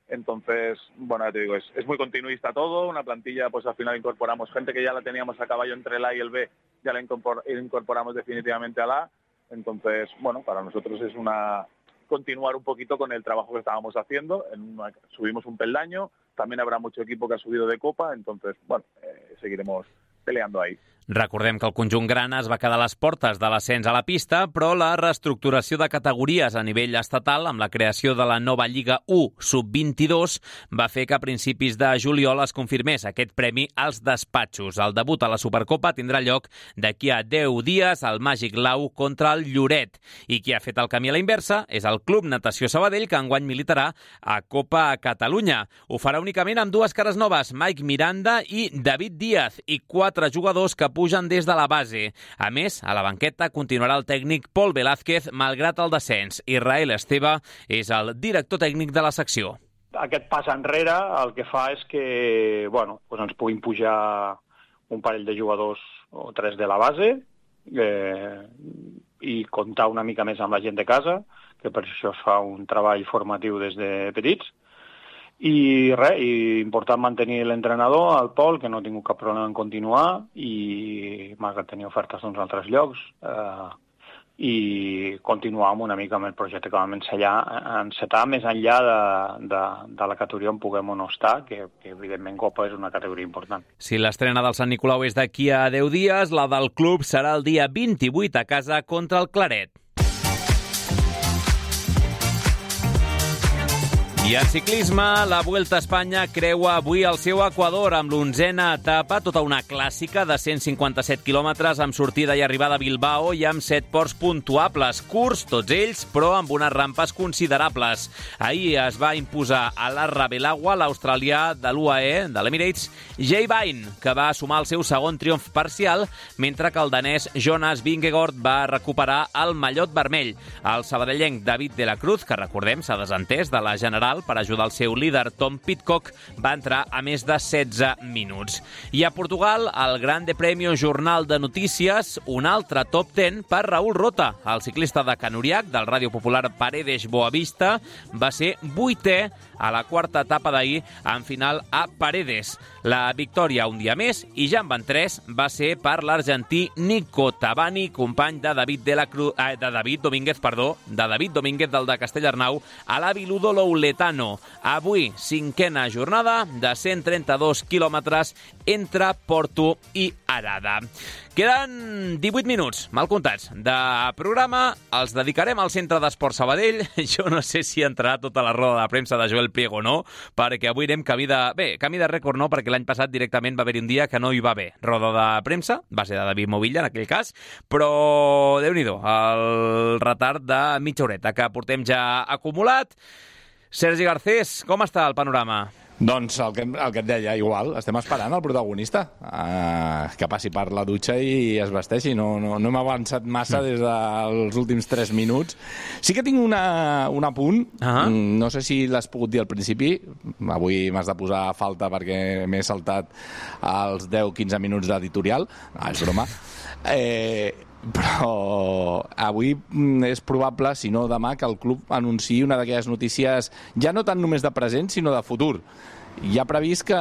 Entonces, bueno, ya te digo, es muy continuista todo, una plantilla, pues al final incorporamos gente que ya la teníamos a caballo entre el A y el B, ya la incorporamos definitivamente al A. Entonces, bueno, para nosotros es continuar un poquito con el trabajo que estábamos haciendo. Subimos un peldaño, también habrá mucho equipo que ha subido de Copa, entonces, bueno, seguiremos peleando ahí. Recordem que el conjunt grana es va quedar a les portes de l'ascens a la pista, però la reestructuració de categories a nivell estatal, amb la creació de la nova Lliga 1 Sub-22, va fer que a principis de juliol es confirmés aquest premi als despatxos. El debut a la Supercopa tindrà lloc d'aquí a 10 dies al Màgic Lau contra el Lloret. I qui ha fet el camí a la inversa és el Club Natació Sabadell, que enguany militarà a Copa Catalunya. Ho farà únicament amb dues cares noves, Mike Miranda i David Díaz, i 4 jugadors que pugen des de la base. A més, a la banqueta continuarà el tècnic Pol Velázquez, malgrat el descens. Israel Esteve és el director tècnic de la secció. Aquest pas enrere el que fa és que ens puguin pujar un parell de jugadors o 3 de la base i comptar una mica més amb la gent de casa, que per això es fa un treball formatiu des de petits. I important mantenir l'entrenador, el Pol, que no ha tingut cap problema en continuar, i malgrat tenir ofertes d'uns altres llocs, i continuar amb una mica amb el projecte que vam encetar més enllà de la categoria on puguem o no estar, que evidentment Copa és una categoria important. Si l'estrena del Sant Nicolau és d'aquí a 10 dies, la del club serà el dia 28 a casa contra el Claret. I en ciclisme, la Vuelta a Espanya creua avui el seu equador amb l'11a etapa, tota una clàssica de 157 quilòmetres amb sortida i arribada a Bilbao i amb 7 ports puntuables, curts tots ells, però amb unes rampes considerables. Ahir es va imposar a la Rabelagua l'australià de l'UAE, de l'Emirates, Jay Vine, que va sumar el seu segon triomf parcial, mentre que el danès Jonas Vingegaard va recuperar el mallot vermell. El sabadellenc David de la Cruz, que recordem s'ha desentès de la general per ajudar el seu líder Tom Pidcock, va entrar a més de 16 minuts. I a Portugal, el Grande Premio Jornal de Notícies, un altre top 10 per Raúl Rota. El ciclista de Canuriac, del Ràdio Popular Paredes Boavista, va ser 8è a la quarta etapa d'ahir, en final a Paredes. La victòria un dia més, i ja en van 3, va ser per l'argentí Nico Tabani, company de David Domínguez del de Castellarnau, a la Viludo Louletano. Avui, 5a jornada de 132 quilòmetres entre Porto i Arada. Queden 18 minuts, mal comptats, de programa. Els dedicarem al Centre d'Esport Sabadell. Jo no sé si entrarà tota la roda de premsa de Joel Priego o no, perquè avui anem camí de rècord no, perquè l'any passat directament va haver un dia que no hi va haver roda de premsa, va ser de David Movilla en aquell cas, però Déu-n'hi-do, el retard de mitja horeta que portem ja acumulat. Sergi Garcés, com està el panorama? Doncs el que et deia, igual, estem esperant el protagonista que passi per la dutxa i es vesteixi. No hem avançat massa des dels últims 3 minuts. Sí que tinc un apunt, no sé si l'has pogut dir al principi, avui m'has de posar a falta perquè m'he saltat els 10-15 minuts d'editorial, és broma. Però avui és probable, si no demà, que el club anunciï una d'aquelles notícies ja no tant només de present, sinó de futur. Hi ha previst que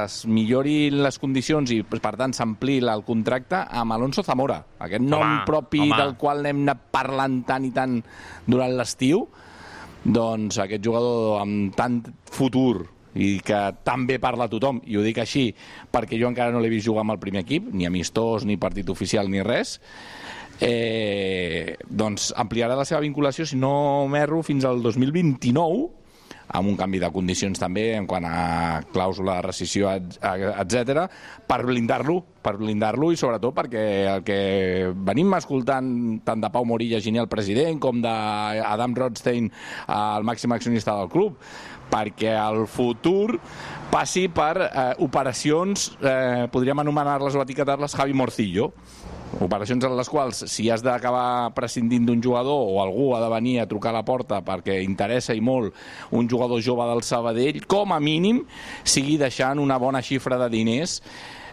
es millorin les condicions i, per tant, s'ampliï el contracte amb Alonso Zamora, aquest nom propi del qual n'hem anat parlant tant i tant durant l'estiu. Doncs aquest jugador amb tant futur i que també parla tothom, i ho dic així perquè jo encara no l'he vist jugar amb el primer equip, ni amistós, ni partit oficial, ni res, doncs ampliarà la seva vinculació, si no m'erro, fins al 2029, amb un canvi de condicions també en quant a clàusula de rescissió, etc., per blindar-lo i sobretot perquè el que venim escoltant tant de Pau Morilla, Gini, el president, com d'Adam Rothstein, el màxim accionista del club, perquè el futur passi per operacions, podríem anomenar-les o etiquetar-les Javi Morcillo, operacions en les quals, si has d'acabar prescindint d'un jugador o algú ha de venir a trucar a la porta perquè interessa i molt un jugador jove del Sabadell, com a mínim sigui deixant una bona xifra de diners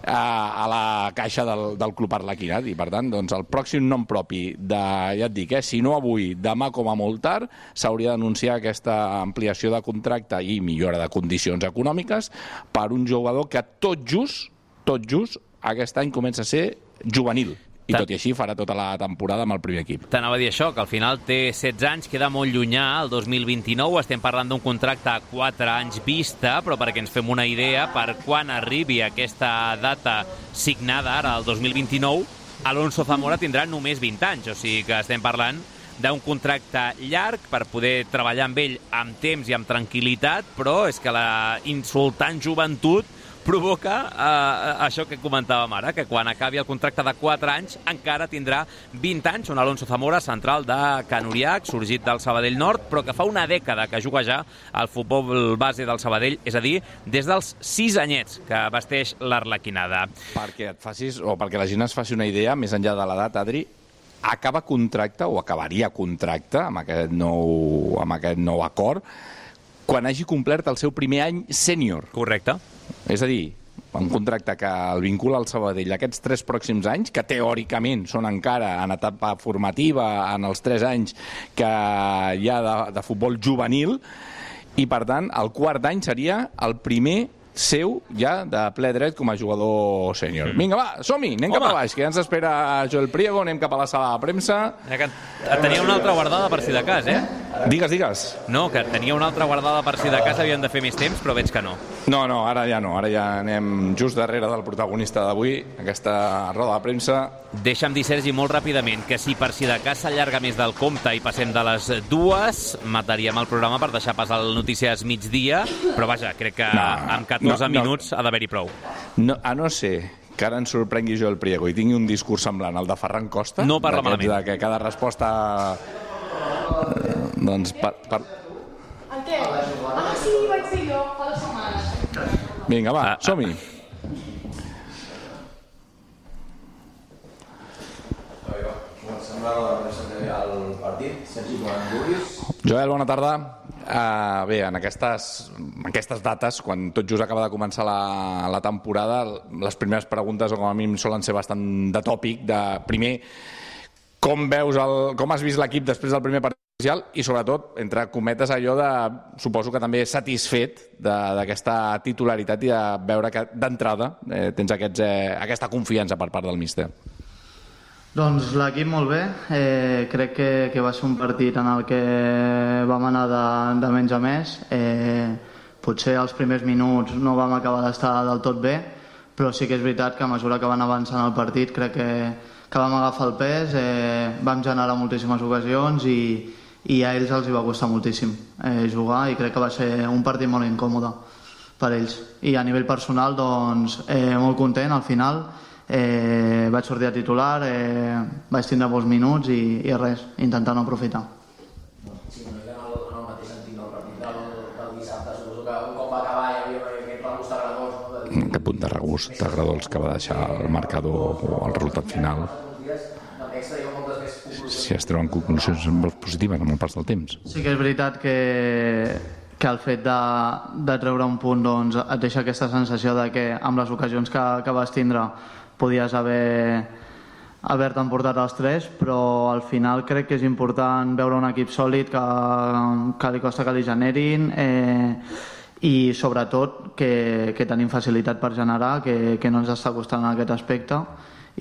a la caixa del Club Arlequinat, i per tant, doncs, el pròxim nom propi de, ja et dic, si no avui, demà com a molt tard, s'hauria d'anunciar aquesta ampliació de contracte i millora de condicions econòmiques per un jugador que tot just aquest any comença a ser juvenil. I tot i així farà tota la temporada amb el primer equip. T'anava a dir això, que al final té 16 anys, queda molt llunyà, el 2029, estem parlant d'un contracte a 4 anys vista, però perquè ens fem una idea, per quan arribi aquesta data signada ara, el 2029, Alonso Zamora tindrà només 20 anys, o sigui que estem parlant d'un contracte llarg per poder treballar amb ell amb temps i amb tranquil·litat, però és que la insultant joventut provoca això que comentàvem ara, que quan acabi el contracte de 4 anys encara tindrà 20 anys, un Alonso Zamora, central de Can Uriach, sorgit del Sabadell Nord, però que fa una dècada que juga ja al futbol base del Sabadell, és a dir, des dels 6 anyets que vesteix l'Arlequinada. Perquè et facis, o perquè la gent es faci una idea, més enllà de l'edat, Adri, acaba contracte, o acabaria contracte amb aquest nou acord, quan hagi complert el seu primer any sènior. Correcte. És a dir, un contracte que el vincula al Sabadell aquests 3 pròxims anys, que teòricament són encara en etapa formativa, en els 3 anys que hi ha de futbol juvenil, i per tant el quart any seria el primer seu ja de ple dret com a jugador sènior. Vinga, va, som-hi, anem cap a baix, que ja ens espera Joel Priego, anem cap a la sala de premsa. Tenia una altra guardada per si de cas, eh? Digues. No, que tenia una altra guardada per si de cas, havien de fer més temps, però veig que no. No, ara ja anem just darrere del protagonista d'avui, aquesta roda de premsa. Deixa'm dir, Sergi, molt ràpidament, que si per si de cas s'allarga més del compte i passem de les 2, mataríem el programa per deixar passar el Notícies migdia, però vaja, crec que amb 14 minuts ha d'haver-hi prou. No, a no ser que ara ens sorprengui Joel Priego i tingui un discurs semblant al de Ferran Costa, no parla malament. De que cada resposta... doncs... El què? Sí, vaig ser jo, fa 2 setmanes. Vinga, va, som-hi. El partit, Sergi, quan vulguis. Joel, bona tarda. Bé, en aquestes dates, quan tot just acaba de començar la temporada, les primeres preguntes, com a mínim, solen ser bastant de tòpic, de primer, com has vist l'equip després del primer partit oficial i, sobretot, entre cometes, allò de, suposo que també satisfet d'aquesta titularitat i de veure que d'entrada tens aquesta confiança per part del míster. Doncs l'equip molt bé, crec que va ser un partit en el que vam anar de menys a més, potser els primers minuts no vam acabar d'estar del tot bé, però sí que és veritat que a mesura que van avançant el partit crec que vam agafar el pes, vam generar moltíssimes ocasions i a ells els hi va costar moltíssim jugar i crec que va ser un partit molt incòmode per ells. I a nivell personal, doncs, molt content al final. Vaig sortir a titular, vaig tindre molts minuts i res, intentant aprofitar. Sí, una mica en el mateix sentit del partit del dissabte, suposo que un cop va acabar hi havia aquest regust agradós. Aquest punt de regust agradós que va deixar el marcador o el resultat final. Si es treuen conclusions positives en moltes parts del temps. Sí que és veritat que el fet de treure un punt doncs, et deixa aquesta sensació de que amb les ocasions que vas tindre podies haver-te emportat els 3, però al final crec que és important veure un equip sòlid que li costa que li generin i sobretot que tenim facilitat per generar, que no ens està costant en aquest aspecte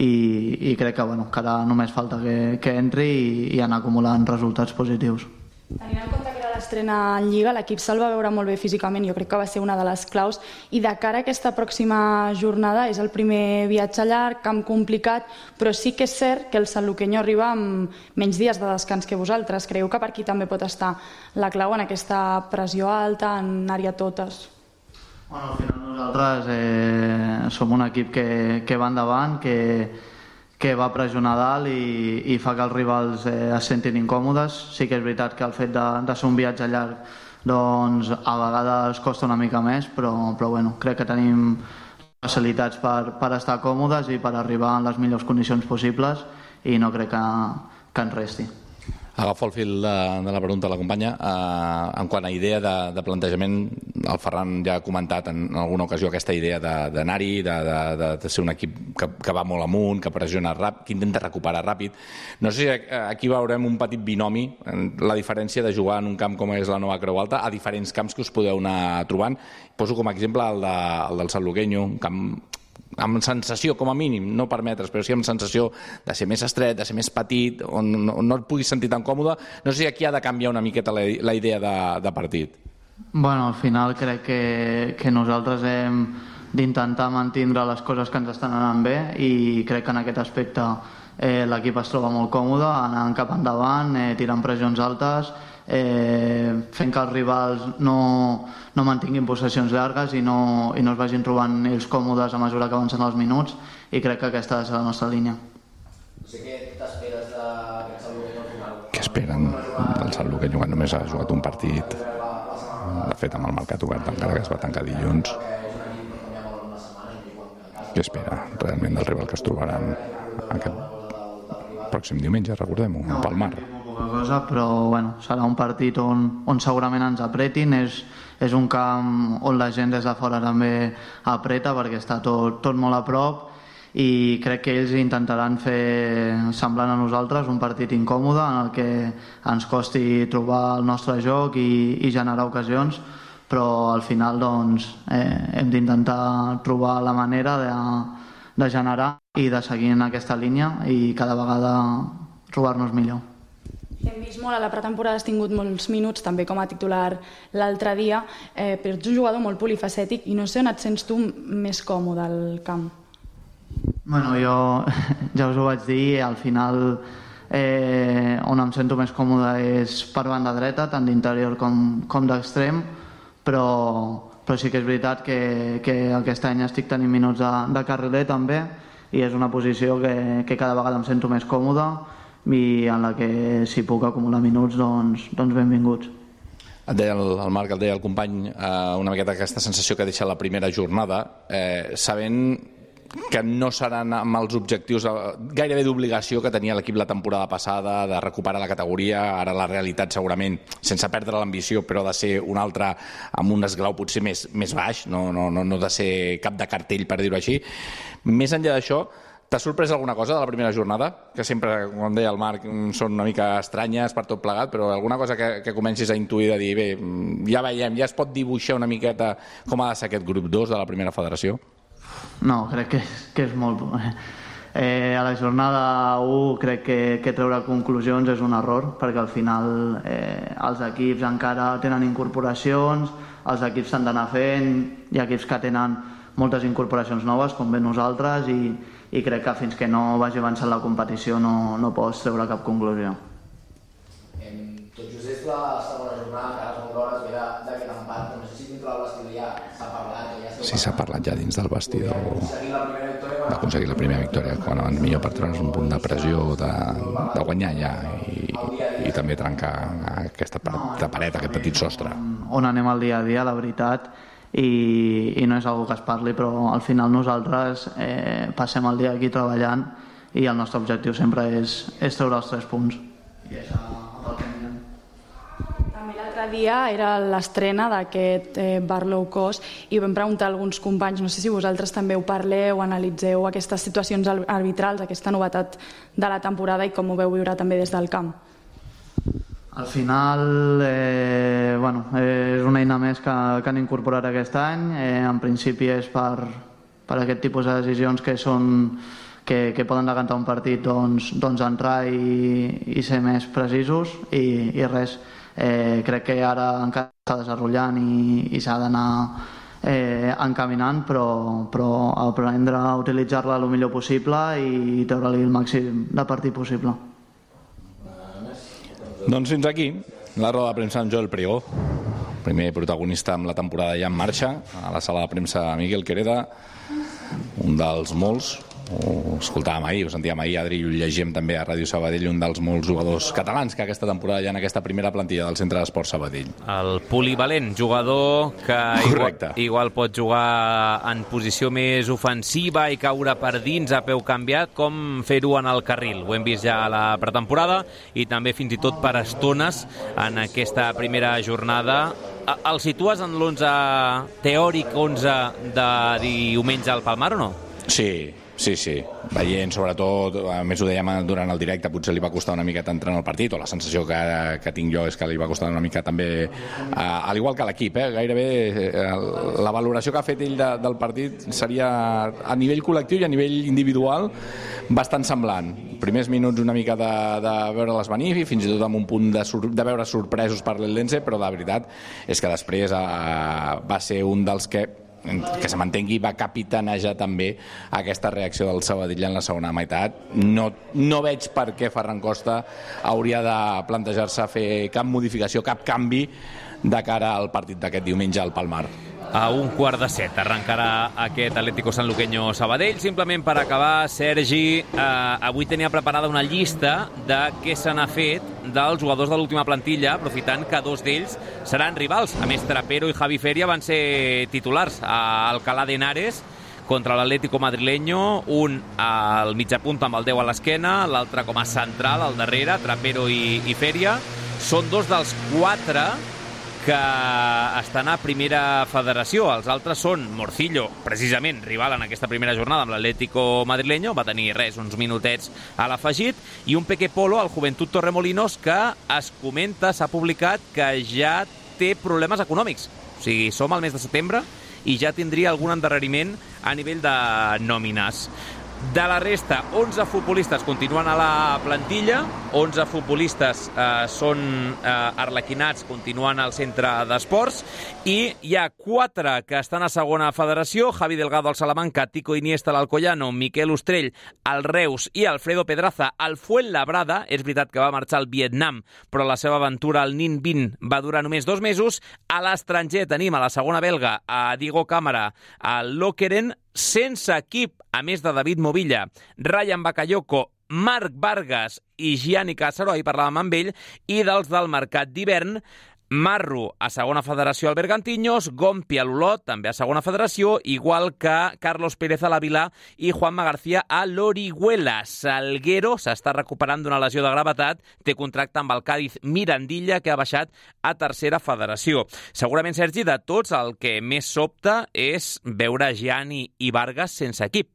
i crec que ara només falta que entri i anar acumulant resultats positius. Tenint en compte que era l'estrena en Lliga, l'equip se'l va veure molt bé físicament, jo crec que va ser una de les claus, i de cara a aquesta pròxima jornada és el primer viatge llarg, camp complicat, però sí que és cert que el sanluqueño arriba amb menys dies de descans que vosaltres. Creieu que per aquí també pot estar la clau en aquesta pressió alta, en àrea totes? Bueno, al final nosaltres som un equip que va endavant, que va pressionar dalt i fa que els rivals es sentin incòmodes. Sí que és veritat que el fet de ser un viatge llarg doncs a vegades costa una mica més, però bueno, crec que tenim facilitats per estar còmodes i per arribar en les millors condicions possibles i no crec que ens resti. Agafo el fil de la pregunta de la companya. En quant a idea de plantejament, el Ferran ja ha comentat en alguna ocasió aquesta idea d'anar-hi, de ser un equip que va molt amunt, que pressiona ràpid, que intenta recuperar ràpid. No sé si aquí veurem un petit binomi, la diferència de jugar en un camp com és la Nova Creu Alta a diferents camps que us podeu anar trobant. Poso com a exemple el del Sanluqueño, un camp amb sensació, com a mínim, no per metres, però sí amb sensació de ser més estret, de ser més petit, on no et puguis sentir tan còmode. No sé si aquí ha de canviar una miqueta la idea de partit. Bueno, al final crec que nosaltres hem d'intentar mantindre les coses que ens estan anant bé i crec que en aquest aspecte l'equip es troba molt còmode, anant cap endavant, tirant pressions altes, fent que els rivals no mantinguin possessions llargues i no es vagin trobant ells còmodes a mesura que avancen els minuts, i crec que aquesta ha de ser la nostra línia. No sé què t'esperes d'aquest Sanluqueño al final? Què esperen del Sanluqueño quan només ha jugat un partit? De fet, amb el mercat obert, encara que es va tancar dilluns. Què espera realment del rival que es trobaran aquest pròxim diumenge, recordem-ho, a Palmar? Cosa, però bueno, serà un partit on segurament ens apretin. És un camp on la gent des de fora també apreta perquè està tot molt a prop, i crec que ells intentaran fer semblant a nosaltres un partit incòmode en el que ens costi trobar el nostre joc i generar ocasions, però al final doncs, hem d'intentar trobar la manera de generar i de seguir en aquesta línia i cada vegada trobar-nos millor. Hem vist molt, a la pretemporada has tingut molts minuts també com a titular l'altre dia, però ets un jugador molt polifacètic i no sé on et sents tu més còmode al camp. Bueno, jo ja us ho vaig dir, al final on em sento més còmode és per banda dreta, tant d'interior com d'extrem, però sí que és veritat que aquest any estic tenint minuts de carriler també, i és una posició que cada vegada em sento més còmode i en la que si puc acumular minuts doncs benvinguts. Et deia el Marc, et deia el company, una miqueta aquesta sensació que deixa la primera jornada, sabent que no seran amb els objectius gairebé d'obligació que tenia l'equip la temporada passada, de recuperar la categoria. Ara la realitat segurament, sense perdre l'ambició, però de ser un altre amb un esglau potser més baix, no de ser cap de cartell, per dir-ho així. Més enllà d'això, t'ha sorprès alguna cosa de la primera jornada? Que sempre, com deia el Marc, són una mica estranyes per tot plegat, però alguna cosa que comencis a intuir de dir, bé, ja veiem, ja es pot dibuixar una miqueta com ha de ser aquest grup 2 de la primera federació? No, crec que és molt... A la jornada 1 crec que treure conclusions és un error, perquè al final els equips encara tenen incorporacions, els equips s'han d'anar fent, hi ha equips que tenen moltes incorporacions noves, com bé nosaltres, i crec que fins que no vagi avançant la competició no pots treure cap conclusió. Tot just és la segona jornada, encara són hores ve d'aquest empat, no sé si dintre del vestidor ja s'ha parlat. Sí, s'ha parlat ja dins del vestidor d'aconseguir la primera victòria, quan abans millor per treure's un punt de pressió, de guanyar ja i també trencar aquesta paret, aquest petit sostre. On anem al dia a dia, la veritat, i no és algo que es parli, però al final nosaltres passem el dia aquí treballant i el nostre objectiu sempre és treure els 3 punts. També l'altre dia era l'estrena d'aquest bar low cost i vam preguntar a alguns companys, no sé si vosaltres també ho parleu, analitzeu aquestes situacions arbitrals, aquesta novetat de la temporada i com ho veu viure també des del camp. Al final és una eina més que han incorporat aquest any. En principi és per aquest tipus de decisions que poden decantar un partit, doncs entrar i ser més precisos i res. Crec que ara encara s'està desenvolupant i s'ha d'anar encaminant, però aprendre a utilitzar-la el millor possible i treure-li el màxim de partit possible. Doncs fins aquí la roda de premsa amb Joel Priego, primer protagonista amb la temporada ja en marxa. A la sala de premsa Miguel Quereda, un dels molts ho escoltàvem ahir, ho sentíem ahir, Adri, i ho llegíem també a Ràdio Sabadell, un dels molts jugadors catalans que aquesta temporada hi ha en aquesta primera plantilla del Centre d'Esport Sabadell. El polivalent, jugador que igual pot jugar en posició més ofensiva i caure per dins a peu canviat, com fer-ho en el carril. Ho hem vist ja a la pretemporada i també fins i tot per estones en aquesta primera jornada. El situes en l'11 teòric 11 de diumenge al Palmar o no? Sí. Veient, sobretot, a més ho dèiem durant el directe, potser li va costar una miqueta entrar en el partit, o la sensació que tinc jo és que li va costar una mica també, al igual que l'equip, gairebé la valoració que ha fet ell del partit seria a nivell col·lectiu i a nivell individual bastant semblant. Primers minuts una mica de veure-les venir, fins i tot amb un punt de veure sorpresos per l'Eldense, però la veritat és que després va ser un dels que se m'entengui, va capitanejar també aquesta reacció del Sabadell en la segona meitat. No veig per què Ferran Costa hauria de plantejar-se fer cap modificació, cap canvi de cara al partit d'aquest diumenge al Palmar. A 6:15 arrencarà aquest Atlético Sanluqueño Sabadell. Simplement per acabar, Sergi, avui tenia preparada una llista de què se n'ha fet dels jugadors de l'última plantilla, aprofitant que dos d'ells seran rivals. A més, Trapero i Javi Feria van ser titulars a Alcalá de Henares contra l'Atlético madrileño, un al mitjapunta amb el 10 a l'esquena, l'altre com a central al darrere, Trapero i Feria. Són dos dels 4 que estan a primera federació. Els altres són Morcillo, precisament rival en aquesta primera jornada amb l'Atlético madrileño, va tenir uns minutets a l'afegit, i un Peque Polo, al Juventud Torremolinos, que es comenta, s'ha publicat, que ja té problemes econòmics. O sigui, som al mes de setembre i ja tindria algun endarreriment a nivell de nòmines. De la resta, 11 futbolistes continuen a la plantilla, 11 futbolistes són arlequinats, continuen al centre d'esports, i hi ha 4 que estan a segona federació: Javi Delgado al Salamanca, Tico Iniesta al Alcoyano, Miquel Ostrell al Reus i Alfredo Pedraza al Fuenlabrada. És veritat que va marxar al Vietnam, però la seva aventura al Ninh Binh va durar només 2 mesos. A l'estranger tenim a la segona belga a Diego Cámara al Lokeren, sense equip, a més de David Movilla, Ryan Bakayoko, Marc Vargas i Gianni Càcero, ahir parlàvem amb ell, i dels del mercat d'hivern, Marro a segona federació al Bergantiños, Gompi a l'Olot, també a segona federació, igual que Carlos Pérez a l'Avilà i Juanma García a l'Orihuela. Salguero s'està recuperant d'una lesió de gravetat, té contracte amb el Cádiz Mirandilla, que ha baixat a tercera federació. Segurament, Sergi, de tots, el que més sobta és veure Gianni i Vargas sense equip.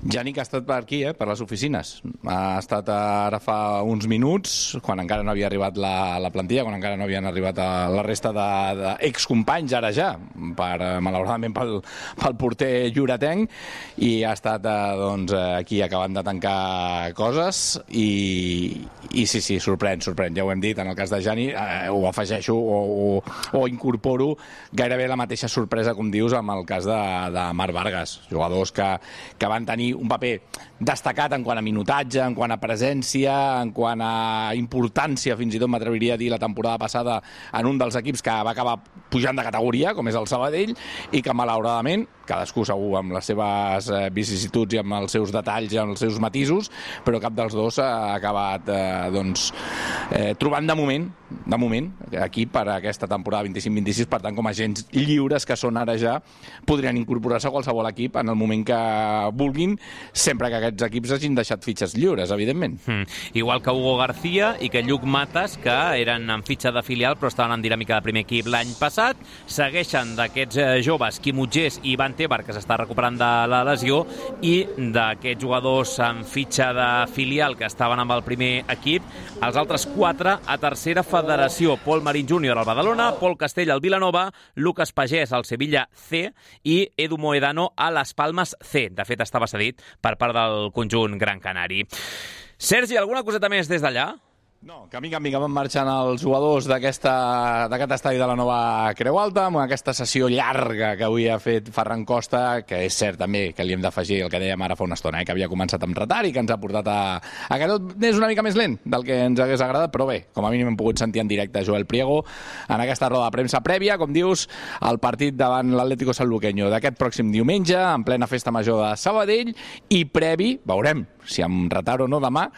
Gianni, que ha estat per aquí, per les oficines. Ha estat ara fa uns minuts, quan encara no havia arribat la plantilla, quan encara no havien arribat la resta d'excompanys, ara ja, malauradament pel porter lloretenc, i ha estat aquí acabant de tancar coses, i sí, sorprèn. Ja ho hem dit, en el cas de Gianni, ho afegeixo o incorporo gairebé la mateixa sorpresa, com dius, amb el cas de Marc Vargas, jugadors que van tenir un paper destacat en quant a minutatge, en quant a presència, en quant a importància, fins i tot m'atreviria a dir la temporada passada, en un dels equips que va acabar pujant de categoria, com és el Sabadell, i que malauradament, cadascú segur amb les seves vicissituds i amb els seus detalls i amb els seus matisos, però cap dels dos ha acabat trobant de moment aquí per aquesta temporada 25-26, per tant, com a agents lliures que són ara ja, podrien incorporar-se a qualsevol equip en el moment que vulguin, sempre que aquests equips hagin deixat fitxes lliures, evidentment. Igual que Hugo García i que Lluc Matas, que eren en fitxa de filial però estaven en dinàmica de primer equip l'any passat. Segueixen d'aquests joves Quim Utgés i Ivan Tebar, que s'està recuperant de la lesió, i d'aquests jugadors en fitxa de filial que estaven amb el primer equip, els altres 4 a tercera federació: Pol Marín Júnior al Badalona, Pol Castell al Vilanova, Lucas Pagès al Sevilla C i Edu Moedano a les Palmes C. De fet, estava cedit per part del conjunt gran canari. Sergi, alguna coseta més des d'allà? No, que mica en mica van marxant els jugadors d'aquest estadi de la Nova Creu Alta, amb aquesta sessió llarga que avui ha fet Ferran Costa, que és cert també que li hem d'afegir el que dèiem ara fa una estona, que havia començat amb retard i que ens ha portat a que tot és una mica més lent del que ens hagués agradat, però bé, com a mínim hem pogut sentir en directe Joel Priego en aquesta roda de premsa prèvia, com dius, al partit davant l'Atlético Sanluqueño d'aquest pròxim diumenge, en plena festa major de Sabadell, i previ, veurem si amb retard o no demà,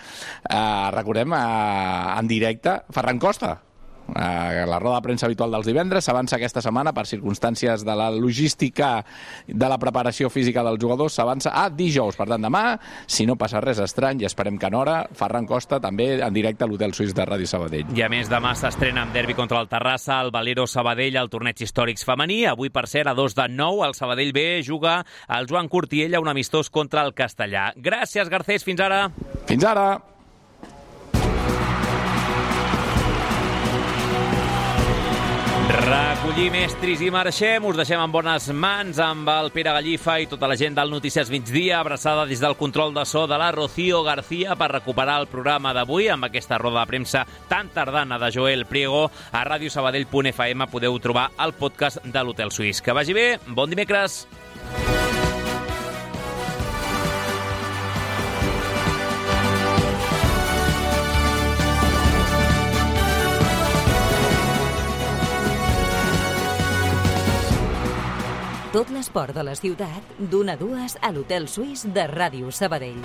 recordem en directe Ferran Costa. La roda de premsa habitual dels divendres s'avança aquesta setmana per circumstàncies de la logística de la preparació física dels jugadors, s'avança a dijous. Per tant, demà, si no passa res estrany, i esperem que en hora, Ferran Costa també en directe a l'Hotel Suís de Ràdio Sabadell. I a més, demà s'estrena amb derbi contra el Terrassa, el Valero Sabadell, al torneig històrics femení. Avui, per cert, a 2:09, el Sabadell B juga el Joan Cortiella, un amistós contra el Castellà. Gràcies, Garcés, fins ara. Fins ara. Recollim estris i marxem. Us deixem en bones mans amb el Pere Gallifa i tota la gent del Notícies Migdia. Abraçada des del control de so de la Rocío García per recuperar el programa d'avui amb aquesta roda de premsa tan tardana de Joel Priego. A radiosabadell.fm podeu trobar el podcast de l'Hotel Suís. Que vagi bé, bon dimecres. Tot l'esport de la ciutat, d'1 a 2 a l'Hotel Suís de Ràdio Sabadell.